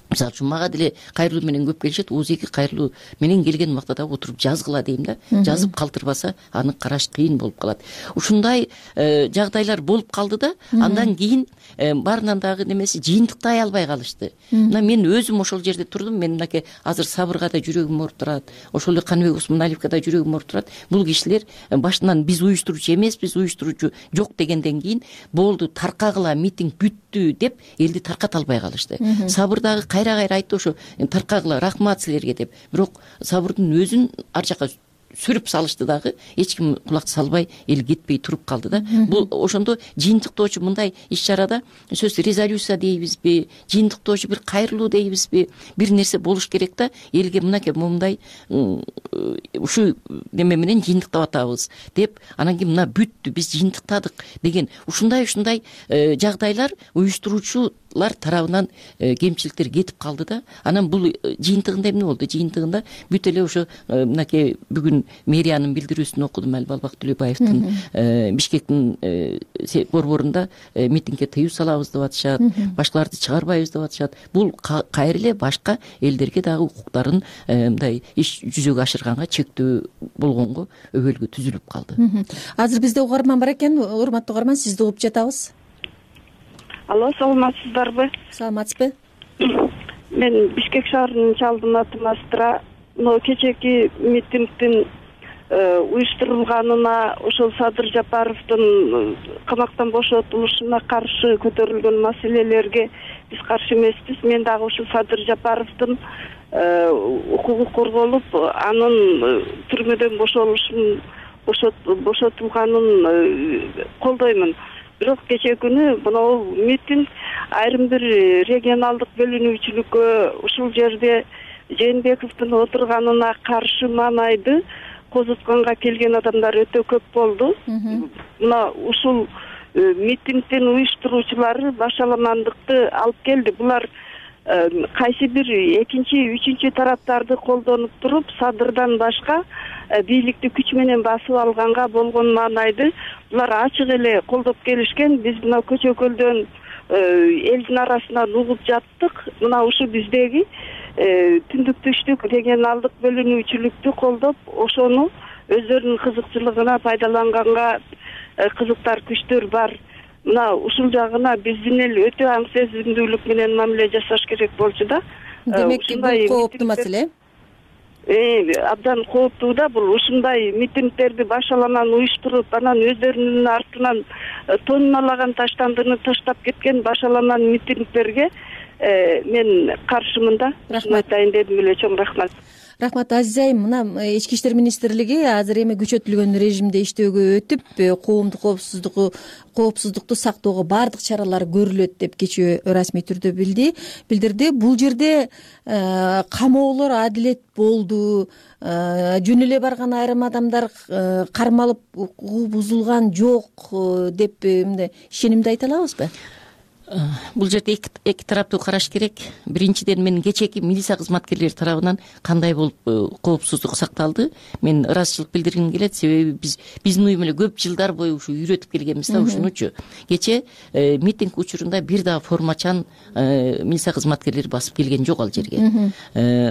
мисалы үчүн мага деле кайрылуу менен көп келишет, ооз эки кайрылуу менен келген убакта дагы отуруп жазгыла дейм да. Жазып калтырбаса аны караш кыйын болуп калат. Ушундай жагдайлар болуп калды да, андан кийин баарынан дагы немеси жыйынтыктай албай калышты. Мына мен өзүм ошол жерде турдум, мен мынакей азыр Сабырга да жүрөгүм ооруп турат, ошол эле Каныбек Усмоналиевге да жүрөгүм ооруп турат. Бул кишилер башынан биз уюштуруучу эмеспиз, уюштуруучу жок дегенден кийин болду, таркагыла, митинг бүттү деп элди тарката албай калышты. Сабыр дагы кайра кайра айтты ошо таркагыла, рахмат силерге деп. Бирок Сабырдын өзүн ар жака сүрүп салышты дагы, эч ким кулак салбай, эл кетпей туруп калды да. Бул ошондо жыйынтыктоочу мындай иш-чарада сөз резолюция дейбизби, жыйынтыктоочу бир кайрылуу дейбизби, бир нерсе болуш керек да. Элге мынакей момундай ушу неме менен жыйынтыктап атабыз деп, анан кийин мына бүттү, биз жыйынтыктадык деген ушундай ушундай жагдайлар уюштуруучулар тарабынан кемчиликтер кетип калды да. Анан бул жыйынтыгында эмне болду? Жыйынтыгында бүт эле ошо мынакей бүгүн мэриянын билдирүүсүн окудум, Албалбак Төлөбаевдин Бишкектин борборунда митингге тыюу салабыз деп атышат, башкаларды чыгарбайбыз деп атышат. Бул кайра эле башка элдерге дагы укуктарын мындай иш жүзөгө ашырганга чектөө болгонго өбөлгө түзүлүп калды. Азыр бизде угарман бар экен. Урматтуу угарман, сизди угуп жатабыз. Алло, саламатсыздарбы? Саламатсызбы? Мен Бишкек шаарынын чалдын атым Астра. Но кечээки митингдин уюштурулганына, ошол Садыр Жапаровдун камактан бошотулушуна каршы көтөрүлгөн маселелерге биз каршы эмеспиз. Мен дагы ушул Садыр Жапаровдун укугу корголуп, анын түрмөдөн бошолушун бошотулганын колдоймун. Бирок кечээ күнү монол митинг айрым бир регионалдык бөлүнүүчүлүккө, ушул жерде Жээнбековдун отурганына каршы маанайды козутканга келген адамдар өтө көп болду. Мына ушул митингдин уюштуруучулары башаламандыкты алып келди. Булар кайсы бир экинчи, үчүнчү тараптарды колдонуп туруп, Садырдан башка бийликти күч менен басып алганга болгон маанайды булар ачык эле колдоп келишкен. Биз мына көчөкөлдөн элдин арасынан угуп жаттык. Мына ушу биздеги түндүк түштүк регионалдык бөлүнүүчүлүктү колдоп, ошону өздөрүнүн кызыкчылыгына пайдаланганга кызыктар күчтөр бар. Мына ушул жагына биздин эл өтө аң сезимдүүлүк менен мамиле жасаш керек болчу да. Демек, бул кооптуу маселе. Э, абдан кооптуу да бул. Ушундай митингдерди башаламан уюштуруп, анан өздөрүнүн артынан тонналаган таштандыны таштап кеткен башаламан митингдерге мен каршымын да. Рахмат айтайын дедим эле. Чоң рахмат. Рахмат, Азиза айым. Мына Ички иштер министрлиги азыр эми күчөтүлгөн режимде иштөөгө өтүп, коомдук коопсуздугу коопсуздукту сактоого баардык чаралар көрүлөт деп кечээ расмий түрдө билди. Билдирди. Бул жерде камоолор адилет болду, жөн эле барган айрым адамдар кармалып, укугу бузулган жок деп мындай ишенимди айта алабызбы? Бул жерде эки тараптуу караш керек. Биринчиден, мен кечээки милиция кызматкерлери тарабынан кандай болуп коопсуздук сакталды, мен ыраазычылык билдиргим келет. Себеби биз биздин уюм эле көп жылдар бою ушу үйрөтүп келгенбиз да ушунучу. Кечээ митинг учурунда бир дагы формачан милиция кызматкерлери басып келген жок ал жерге.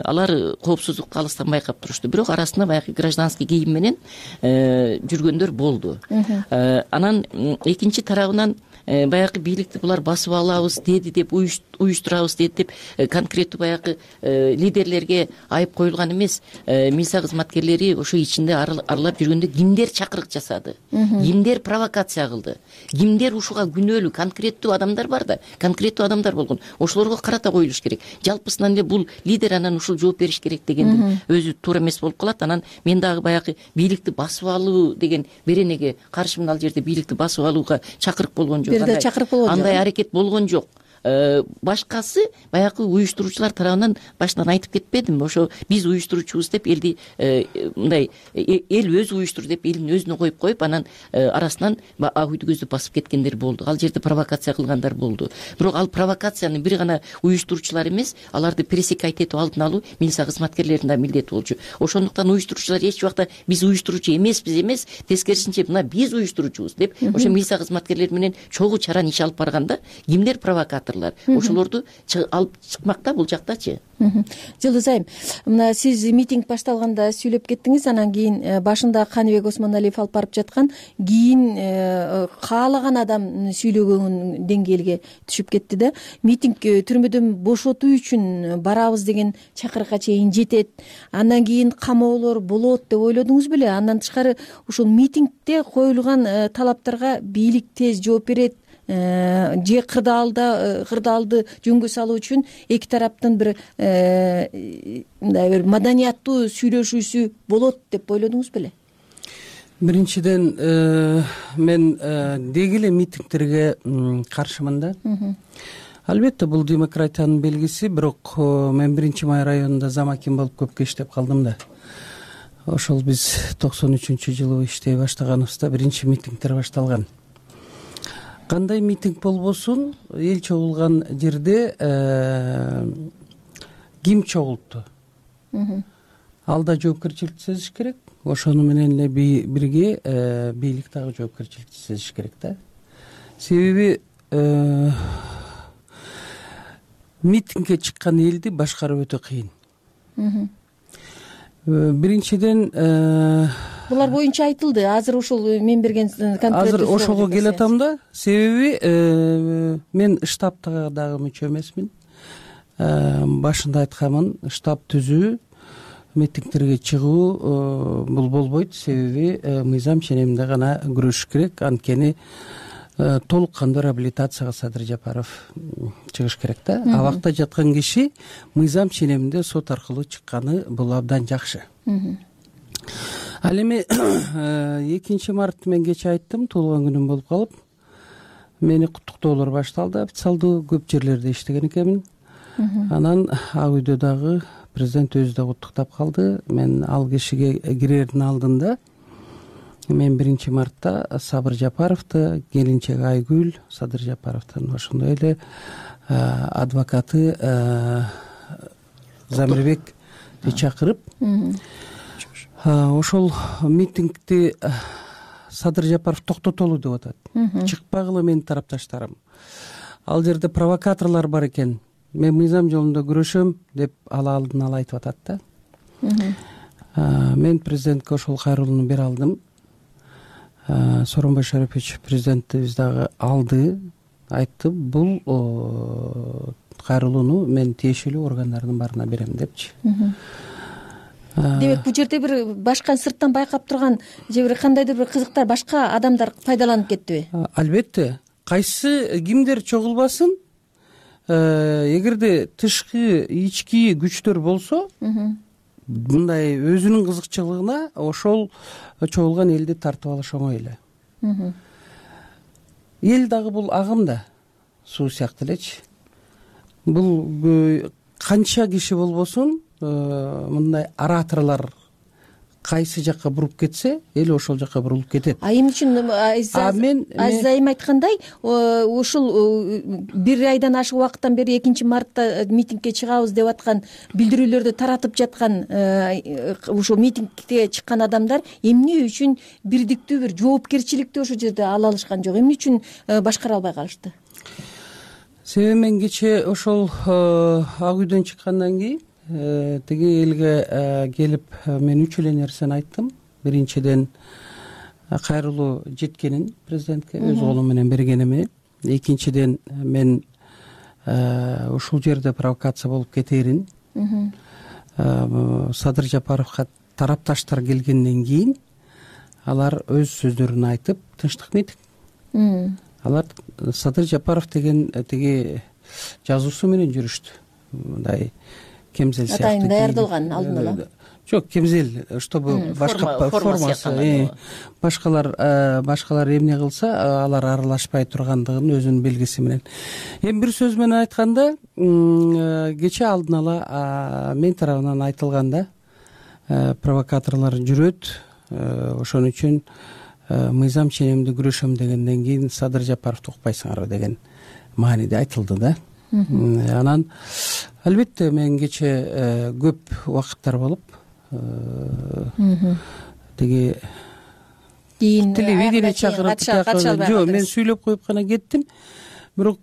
Алар коопсуздукту алыстан байкап турушту. Бирок арасында баягы гражданский кийим менен жүргөндөр болду. Анан экинчи тарабынан баягы бийликти булар басып алабыз деди деп, уюштурабыз деди деп конкреттүү баягы лидерлерге айып коюлган эмес. Милиция кызматкерлери ошо ичинде аралап жүргөндө кимдер чакырык жасады, кимдер провокация кылды, кимдер ушуга күнөөлүү конкреттүү адамдар бар да, конкреттүү адамдар болгон. Ошолорго карата коюлуш керек. Жалпысынан эле бул лидер анан ушул жооп бериш керек дегендин өзү туура эмес болуп калат. Анан мен дагы баягы бийликти басып алуу деген беренеге каршымын. Ал жерде бийликти басып алууга чакырык болгон жок. Андай аракет болгон жок. Башкасы баягы уюштуруучулар тарабынан башынан айтып кетпедимби? Ошо биз уюштуруучубуз деп элди мындай эл өзү уюштур деп элин өзүнө коюп коюп, анан арасынан ак үйдү көздөп басып кеткендер болду. Ал жерде провокация кылгандар болду. Бирок ал провокацияны бир гана уюштуруучулар эмес, аларды пресекать этип алдын алуу милиция кызматкерлеринин да милдети болчу. Ошондуктан уюштуруучулар эч убакта биз уюштуруучу эмеспиз эмес, тескерисинче мына биз уюштуруучубуз деп ошо милиция кызматкерлери менен чогуу чаран иш алып барганда, кимдер провокатор, провокаторлор ошолорду алып чыкмак да бул жактачы. Жылдыз айым, мына сиз митинг башталганда сүйлөп кеттиңиз, анан кийин башында Каныбек Осмоналиев алып барып жаткан, кийин каалаган адам сүйлөгөн деңгээлге түшүп кетти да. Митинг түрмөдөн бошотуу үчүн барабыз деген чакырыкка чейин жетет. Андан кийин камоолор болот деп ойлодуңуз беле? Андан тышкары ушул митингде коюлган талаптарга бийлик тез жооп берет же кырдаалда кырдаалды жөнгө салуу үчүн эки тараптын бир мындай бир маданияттуу сүйлөшүүсү болот деп ойлодуңуз беле? Биринчиден мен деги эле митингтерге каршымын да. Албетте бул демократиянын белгиси, бирок мен биринчи май районунда замаким болуп көпкө иштеп калдым да. Ошол биз токсон үчүнчү жылы иштей баштаганыбызда биринчи митингдер башталган. Кандай митинг болбосун, эл чогулган жерде ким чогултту? Алда жоопкерчиликти сезиш керек. Ошону менен эле бирге бийлик дагы жоопкерчиликти сезиш керек да. Себеби митингге чыккан элди башкаруу өтө кыйын. Биринчиден булар боюнча айтылды. Азыр ушул мен берген конкреттүү азыр ошого келатам да. Себеби мен штабтага дагы мүчө эмесмин. Башында айтканмын, штаб түзүү, митингтерге чыгуу бул болбойт. Себеби мыйзам ченеминде гана күрөшүш керек. Анткени толук кандуу реабилитацияга Садыр Жапаров чыгыш керек да. Абакта жаткан киши мыйзам ченеминде сот аркылуу чыкканы бул абдан жакшы. Ал эми экинчи март мен кече айттым, туулган күнүм болуп калып, мени куттуктоолор башталды. Официалдуу көп жерлерде иштеген экенмин. Анан Ак үйдө дагы президент өзү да куттуктап калды. Мен ал кишиге кирердин алдында мен биринчи мартта Сабыр Жапаровду, келинчеги Айгүл, Садыр Жапаровдун ошондой эле адвокаты Замирбекти чакырып, ошол митингди Садыр Жапаров токтотолу деп атат. Чыкпагыла менин тарапташтарым. Ал жерде провокаторлор бар экен. Мен мыйзам жолунда күрөшөм деп ала алдын ала айтып атат да. Мен президентке ошол кайрылууну бере алдым. Сооронбай Шарипович президентибиз дагы алды, айтты, бул кайрылууну мен тиешелүү органдардын барына берем депчи. Демек, бул жерде бир башка сырттан байкап турган же бир кандайдыр бир кызыктар башка адамдар пайдаланып кеттиби? Албетте, кайсы кимдер чогулбасын, эгерде тышкы ички күчтөр болсо, мындай өзүнүн кызыкчылыгына ошол чогулган элди тартып алыш оңой эле. Эл дагы бул агым да, суу сыяктуу элечи. Бул канча киши болбосун, мындай ораторлор кайсы жакка буруп кетсе, эл ошол жакка бурулуп кетет. А эмне үчүн Азиз айым айткандай, ушул бир айдан ашык убакыттан бери экинчи мартта митингге чыгабыз деп аткан билдирүүлөрдү таратып жаткан ушул митингге чыккан адамдар эмне үчүн бирдиктүү бир жоопкерчиликти ошол жерде ала алышкан жок? Эмне үчүн башкара албай калышты? Себеби мен кече ошол Ак үйдөн чыккандан кийин тиги элге келип мен үч эле нерсени айттым. Биринчиден, кайрылуу жеткенин президентке өз колум менен бергеними. Экинчиден, мен ушул жерде провокация болуп кетерин. Садыр Жапаровго тарапташтар келгенден кийин алар өз сөздөрүн айтып, тынчтык митинг. Алар Садыр Жапаров деген тиги жазуусу менен жүрүштү. Мындай кемзел сыяктуу. Атайын даярдалган алдын ала. Жок, кемзел, чтобы башка формасы, башкалар башкалар эмне кылса, алар аралашпай тургандыгын өзүнүн белгиси менен. Эми бир сөз менен айтканда, кече алдын ала мен тарабынан айтылганда, провокаторлор жүрөт, ошон үчүн мыйзам ченемди күрөшөм дегенден кийин Садыр Жапаровду укпайсыңарбы деген мааниде айтылды да. Анан албетте мен кече көп убакыттар болуп, тиги телевидение чакырып, жок, мен сүйлөп коюп гана кеттим. бирок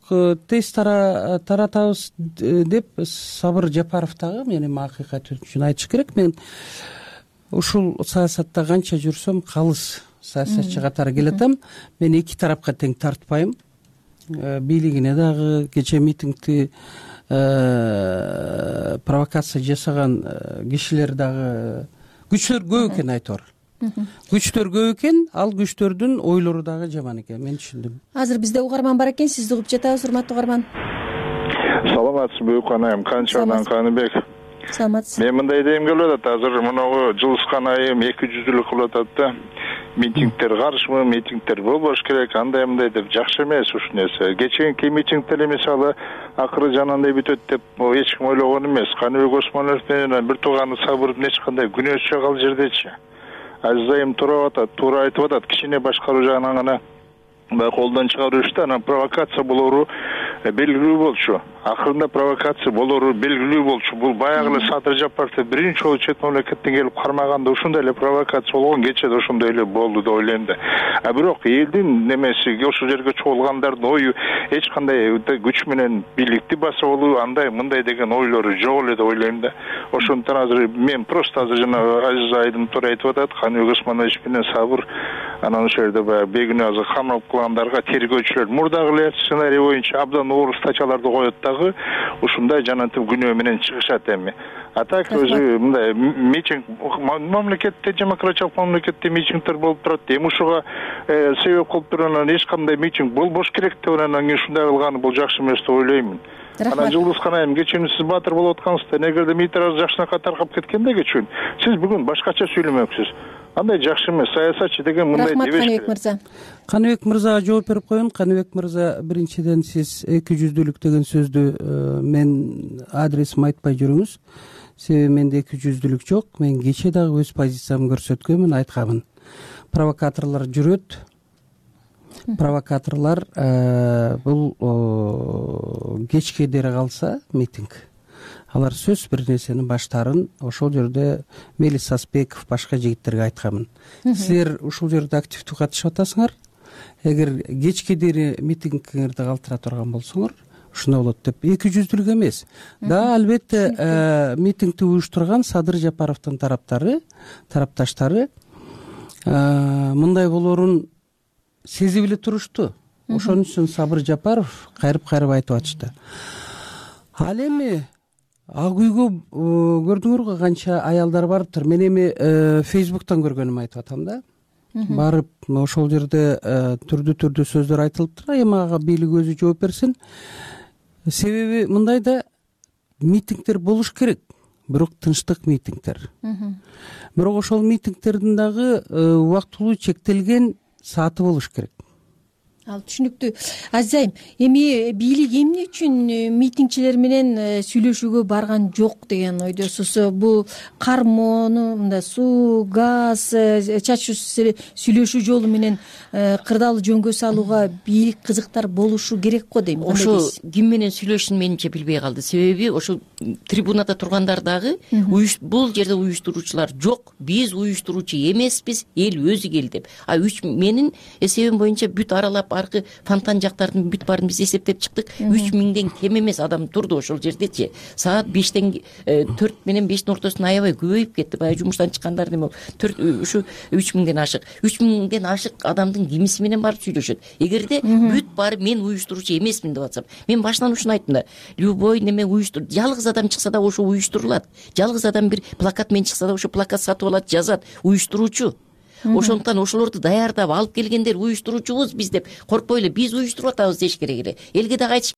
тез таратабыз деп Сабыр Жапаров дагы мен эми акыйкат үчүн айтыш керек. Мен ушул саясатта канча жүрсөм калыс саясатчы катары келатам. Мен эки тарапка тең тартпайм. Бийлигине дагы кечээ митингди провокация жасаган кишилер дагы күчтөр көп экен айтор. Күчтөр көп экен, ал күчтөрдүн ойлору дагы жаман экен, мен түшүндүм. Азыр бизде угарман бар экен, сизди угуп жатабыз, урматтуу угарман. Саламатсызбы Укан айым, Канчадан Каныбек. Саламатсыз. Мен мындай дейм келип атат, азыр мынагу Жылыскан айым эки жүздүүлүк кылып атат да. Митингдер каршымы, митингдер болбош керек, андай мындай деп жакшы эмес ушул нерсе. Кечээки митингдер мисалы акыры жанагындай бүтөт деп эч ким ойлогон эмес. Каныбек Осмонов менен бир тууганы Сабырдын эч кандай күнөөсү жок ал жердечи. Азиз айым туура атат, туура айтып атат. Кичине башкаруу жагынан гана баягы колдон чыгаруу иште анан провокация болору белгилүү болчу. Акырында провокация болору белгилүү болчу. Бул баягы эле Садыр Жапаровду биринчи жолу чет мамлекеттен келип кармаганда ушундай эле провокация болгон, кечээ да ошондой эле болду деп ойлойм да. А бирок элдин немеси ошол жерге чогулгандардын ою эч кандай күч менен бийликти басып алуу, андай мындай деген ойлору жок эле деп ойлойм да. Ошондуктан азыр мен просто азыр жана Азиз айым туура айтып атат, Каныбек Осмонович менен Сабыр анан ошол жерде баягы бегүнөө азыр камалып калгандарга тергөөчүлөр мурдагы эле сценарий боюнча абдан оор статьяларды коет дагы ушундай жанагынтип күнөө менен чыгышат эми. А так өзү мындай митинг мамлекетте, демократиялык мамлекетте митингдер болуп турат. Эми ушуга себеп кылып турган эч кандай митинг болбош керек деп анан кийин ушундай кылганы бул жакшы эмес деп ойлоймун. Анан Жылдызкан айым, кечээ сиз баатыр болуп аткансыздар. Эгерде митинг жакшынакай таркап кеткенде кечээ сиз бүгүн башкача сүйлөмөксүз. Андай жакшы эмес. Саясатчы деген мындай дебеш. Рахмат, Каныбек мырза. Каныбек мырзага жооп берип коеюн. Каныбек мырза, биринчиден сиз эки жүздүүлүк деген сөздү мен адресим айтпай жүрүңүз. Себеби менде эки жүздүүлүк жок. Мен кечээ дагы өз позициямды көрсөткөнмүн, айтканмын. Провокаторлор жүрөт. Провокаторлор бул кечке дере калса митинг. Алар сөз бир нерсени баштарын ошол жерде Мелис Саспеков башка жигиттерге айтканмын. Силер ушул жерде активдүү катышып атасыңар. Эгер кечке дере митингиңерди калтыра турган болсоңор, ушундай болот деп. эки жүздүүлүк эмес. Да, албетте митингди уюштурган Садыр Жапаровдун тараптары, тарапташтары мындай болоорун сезип эле турушту. Ошон үчүн Сабыр Жапаров кайрып-кайрып айтып атышты. Ал эми Ак үйгө көрдүңөрбү канча аялдар барыптыр. Мен эми Фейсбуктан көргөнүмү айтып атам да. Барып ошол жерде түрдүү-түрдүү сөздөр айтылыптыр. Эми ага бийлик өзү жооп берсин. Себеби мындай да митингдер болуш керек, бирок тынчтык митингдер. Бирок ошол митингдердин дагы убактылуу чектелген сааты болуш керек. Ал түшүнүктүү. Азиз айым, эми бийлик эмне үчүн митингчилер менен сүйлөшүүгө барган жок деген ойдосуз? Бул кармоону, мындай суу, газ, чачуу сүйлөшүү жолу менен кырдаал жөнгө салууга бийлик кызыктар болушу керек го дейм. Ошо ким менен сүйлөшүшүн менимче билбей калды. Себеби ошол трибунада тургандар дагы бул жерде уюштуруучулар жок, биз уюштуруучу эмеспиз, эл өзү кел деп. А үч менин эсебим боюнча бүт аралап аркы фонтан жактардын бүт баарын биз эсептеп чыктык. үч миңден кем эмес адам турду ошол жердечи. Саат бештен төрт менен бештин ортосунда аябай көбөйүп кетти. Баягы жумуштан чыккандар эми төрт ушу үч миңден ашык. үч миңден ашык адамдын кимиси менен барып сүйлөшөт? Эгерде бүт баары мен уюштуруучу эмесмин деп атсам, мен башынан ушуну айттым да. Любой неме уюштур. Жалгыз адам чыкса да ошо уюштурулат. Жалгыз адам бир плакат менен чыкса да ошо плакат сатып алат, жазат, уюштуруучу. Ошондуктан ошолорду даярдап алып келгендер уюштуруучубуз биз деп коркпой эле биз уюштуруп атабыз деш керек эле. Элге дагы айтыш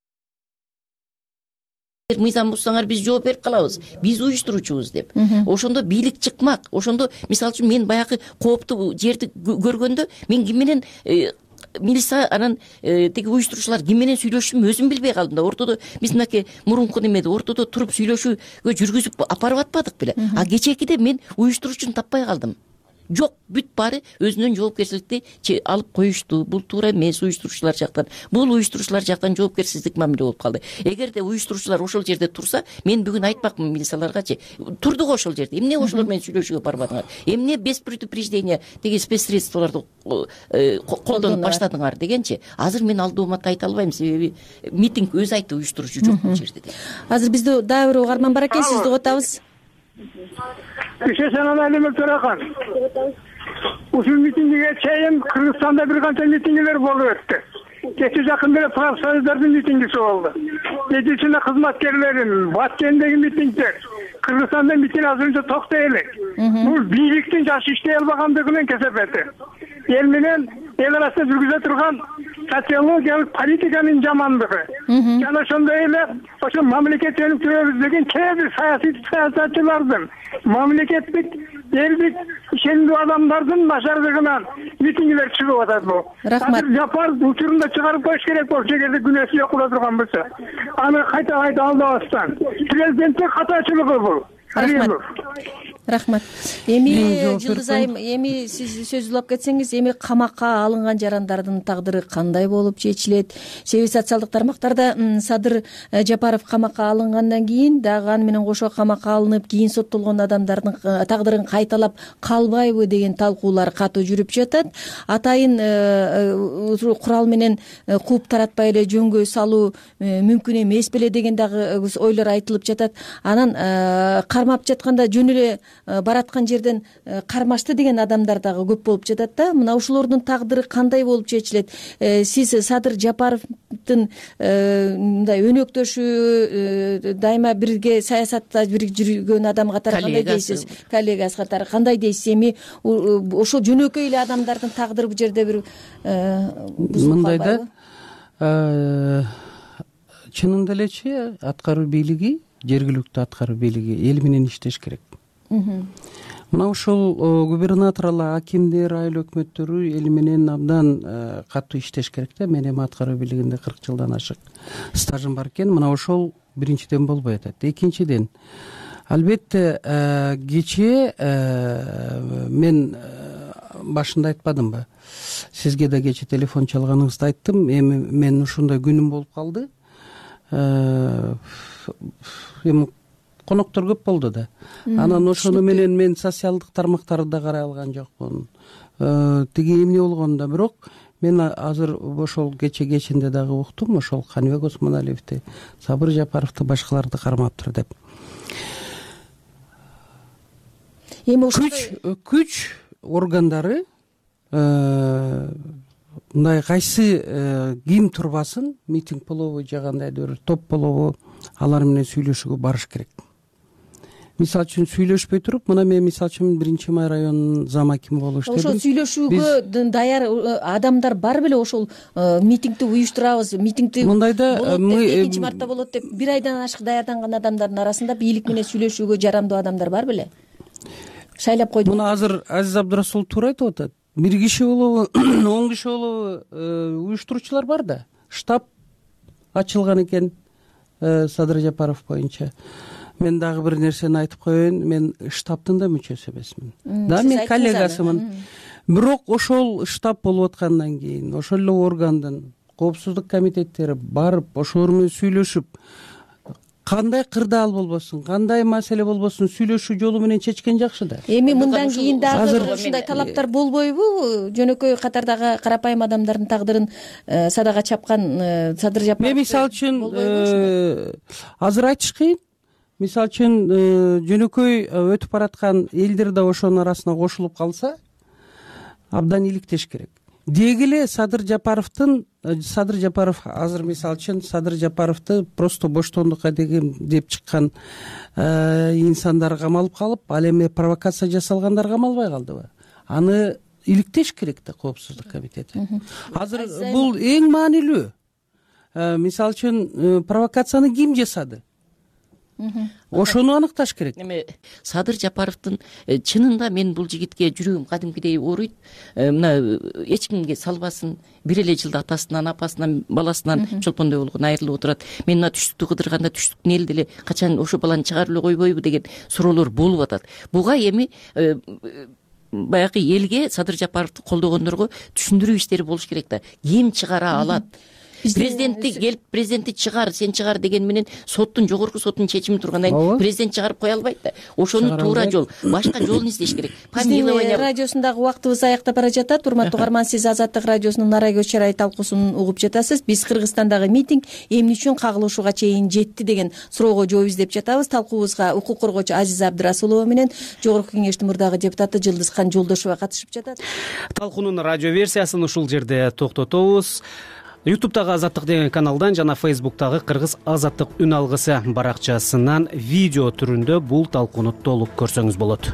мыйзам бузсаңар биз жооп берип калабыз. Биз уюштуруучубуз деп. Ошондо бийлик чыкмак. Ошондо мисалы үчүн мен баягы кооптуу жерди көргөндө мен ким менен милиция анан тиги уюштуруучулар ким менен сүйлөшүшүмдү өзүм билбей калдым да. Ортодо биз мынакей мурунку немеде ортодо туруп сүйлөшүүгө жүргүзүп апарып атпадык беле. А кечээкиде мен уюштуруучуну таппай калдым. жок, бүт баары өзүнүн жоопкерчиликти алып коюшту. Бул туура эмес уюштуруучулар жактан. Бул уюштуруучулар жактан жоопкерсиздик мамиле болуп калды. Эгерде уюштуруучулар ошол жерде турса, мен бүгүн айтпакмын милицияларгачы. Турдук ошол жерде. Эмне ошолор менен сүйлөшүүгө барбадыңар? Эмне без предупреждения тиги спецсредстволорду колдонуп баштадыңар дегенчи. Азыр мен алдоомат айта албайм, себеби митинг өзү айтты уюштуруучу жок бул жерде деп. Азыр бизде дагы бир угарман бар экен, сизди угутабыз. Ишесен Алим Төрахан. Ушул митингиге чейин Кыргызстанда бир канча митингилер болуп өттү. Кечээ жакында эле профсоюздардын митингиси болду. Медицина кызматкерлеринин Баткендеги митингдер. Кыргызстанда митинг азырынча токтой элек. Бул бийликтин жакшы иштей албагандыгынын кесепети. Эл менен эл арасында жүргүзө турган социологиялык политиканын жамандыгы. Жана ошондой эле ошо мамлекет өнүктүрөбүз деген кээ бир саясий саясатчылардын, мамлекеттик элдик ишендүү адамдардын начардыгынан митингилер чыгып атат бул. Рахмат. Жапар учурунда чыгарып коюш керек болчу, эгерде күнөөсү жок боло турган болсо. Аны кайта кайта алдабастан. Президенттин катачылыгы бул. Рахмат. Рахмат. Эми Жылдыз айым, эми сиз сөз улап кетсеңиз, эми камакка алынган жарандардын тагдыры кандай болуп чечилет? Себеби социалдык тармактарда Садыр Жапаров камакка алынгандан кийин дагы аны менен кошо камакка алынып, кийин соттолгон адамдардын тагдырын кайталап калбайбы деген талкуулар катуу жүрүп жатат. Атайын курал менен кууп таратпай эле жөнгө салуу мүмкүн эмес беле деген дагы ойлор айтылып жатат. Анан кармап жатканда жөн эле бараткан жерден кармашты деген адамдар дагы көп болуп жатат да. Мына ушулордун тагдыры кандай болуп чечилет? Сиз Садыр Жапаровдун мындай өнөктөшү, дайыма бирге саясатта бир жүргөн адам катары кандай дейсиз? Коллегасы катары кандай дейсиз? Эми ошол жөнөкөй эле адамдардын тагдыры бул жерде бир мындай да, чынында элечи аткаруу бийлиги, жергиликтүү аткаруу бийлиги эл менен иштеш керек. Мына ушул губернаторлор, акимдер, айыл өкмөттөрү эл менен абдан катуу иштеш керек да. Мен эми аткаруу бийлигинде кырк жылдан ашык стажым бар экен. Мына ошол биринчиден болбой атат. Экинчиден, албетте кечээ мен башында айтпадымбы? Сизге да кечээ телефон чалганыңызда айттым. Эми мен ушундай күнүм болуп калды. Эми коноктор көп болду да. Анан ошону менен мен социалдык тармактарды да карай алган жокмун. Тиги эмне болгондо, бирок мен азыр ошол кече кечинде дагы уктум, ошол Каныбек Осмоналиевди, Сабыр Жапаровду, башкаларды кармаптыр деп. Эми ошол күч органдары мындай кайсы ким турбасын, митинг болобу же кандайдыр бир топ болобу, алар менен сүйлөшүүгө барыш керек. Мисалы үчүн сүйлөшпөй туруп, мына мен мисалы үчүн биринчи май районунун зам акими болуп иштедим. Ошол сүйлөшүүгө даяр адамдар бар беле? Ошол митингди уюштурабыз, митингди мындайда экинчи мартта болот деп бир айдан ашык даярданган адамдардын арасында бийлик менен сүйлөшүүгө жарамдуу адамдар бар беле? Шайлап койдук. Муну азыр Азиз Абдрасулов туура айтып атат. Бир киши болобу, он киши болобу уюштуруучулар бар да. Штаб ачылган экен Садыр Жапаров боюнча. Мен дагы бир нерсени айтып коеюн, мен штабтын да мүчөсү эмесмин. Да, мен коллегасымын. Бирок ошол штаб болуп аткандан кийин, ошол эле органдын коопсуздук комитеттери барып, ошолор менен сүйлөшүп, кандай кырдаал болбосун, кандай маселе болбосун сүйлөшүү жолу менен чечкен жакшы да. Эми мындан кийин дагы ушундай талаптар болбойбу? Жөнөкөй катардагы карапайым адамдардын тагдырын садага чапкан Садыр Жапаров. Мен мисалы үчүн азыр айтыш кыйын. Мисалы үчүн жөнөкөй өтүп бараткан элдер да ошонун арасына кошулуп калса, абдан иликтеш керек. Деги эле Садыр Жапаровдун, Садыр Жапаров азыр мисалы үчүн Садыр Жапаровду просто боштондукка деген деп чыккан инсандар камалып калып, ал эми провокация жасалгандар камалбай калдыбы? Аны иликтеш керек да коопсуздук комитети. Азыр бул эң маанилүү. Мисалы үчүн провокацияны ким жасады? Ошону аныкташ керек. Эми Садыр Жапаровдун чынында мен бул жигитке жүрөгүм кадимкидей ооруйт. Мына эч кимге салбасын, бир эле жылда атасынан, апасынан, баласынан чолпондой болгон айрылып отурат. Мен мына түштүктү кыдырганда түштүктүн элди эле качан ошо баланы чыгарып эле койбойбу деген суроолор болуп атат. Буга эми баягы элге Садыр Жапаровду колдогондорго түшүндүрүү иштери болуш керек да. Ким чыгара алат? Президентти келип президентти чыгар, сен чыгар деген менен соттун, жогорку соттун чечими тургандан кийин президент чыгарып кое албайт да. Ошону туура жол, башка жолун издеш керек. Биздин радиосундагы убактыбыз аяктап бара жатат. Урматтуу угарман, сиз Азаттык радиосунун Нарай көз чырай талкуусун угуп жатасыз. Биз Кыргызстандагы митинг эмне үчүн кагылышууга чейин жетти деген суроого жооп издеп жатабыз. Талкуубузга укук коргоочу Азиза Абдрасулова менен Жогорку кеңештин мурдагы депутаты Жылдызкан Жолдошова катышып жатат. Талкуунун радио версиясын ушул жерде токтотобуз. ютубтагы Азаттык деген каналдан жана Фейсбуктагы Кыргыз Азаттык үн алгысы баракчасынан видео түрүндө бул талкууну толук көрсөңүз болот.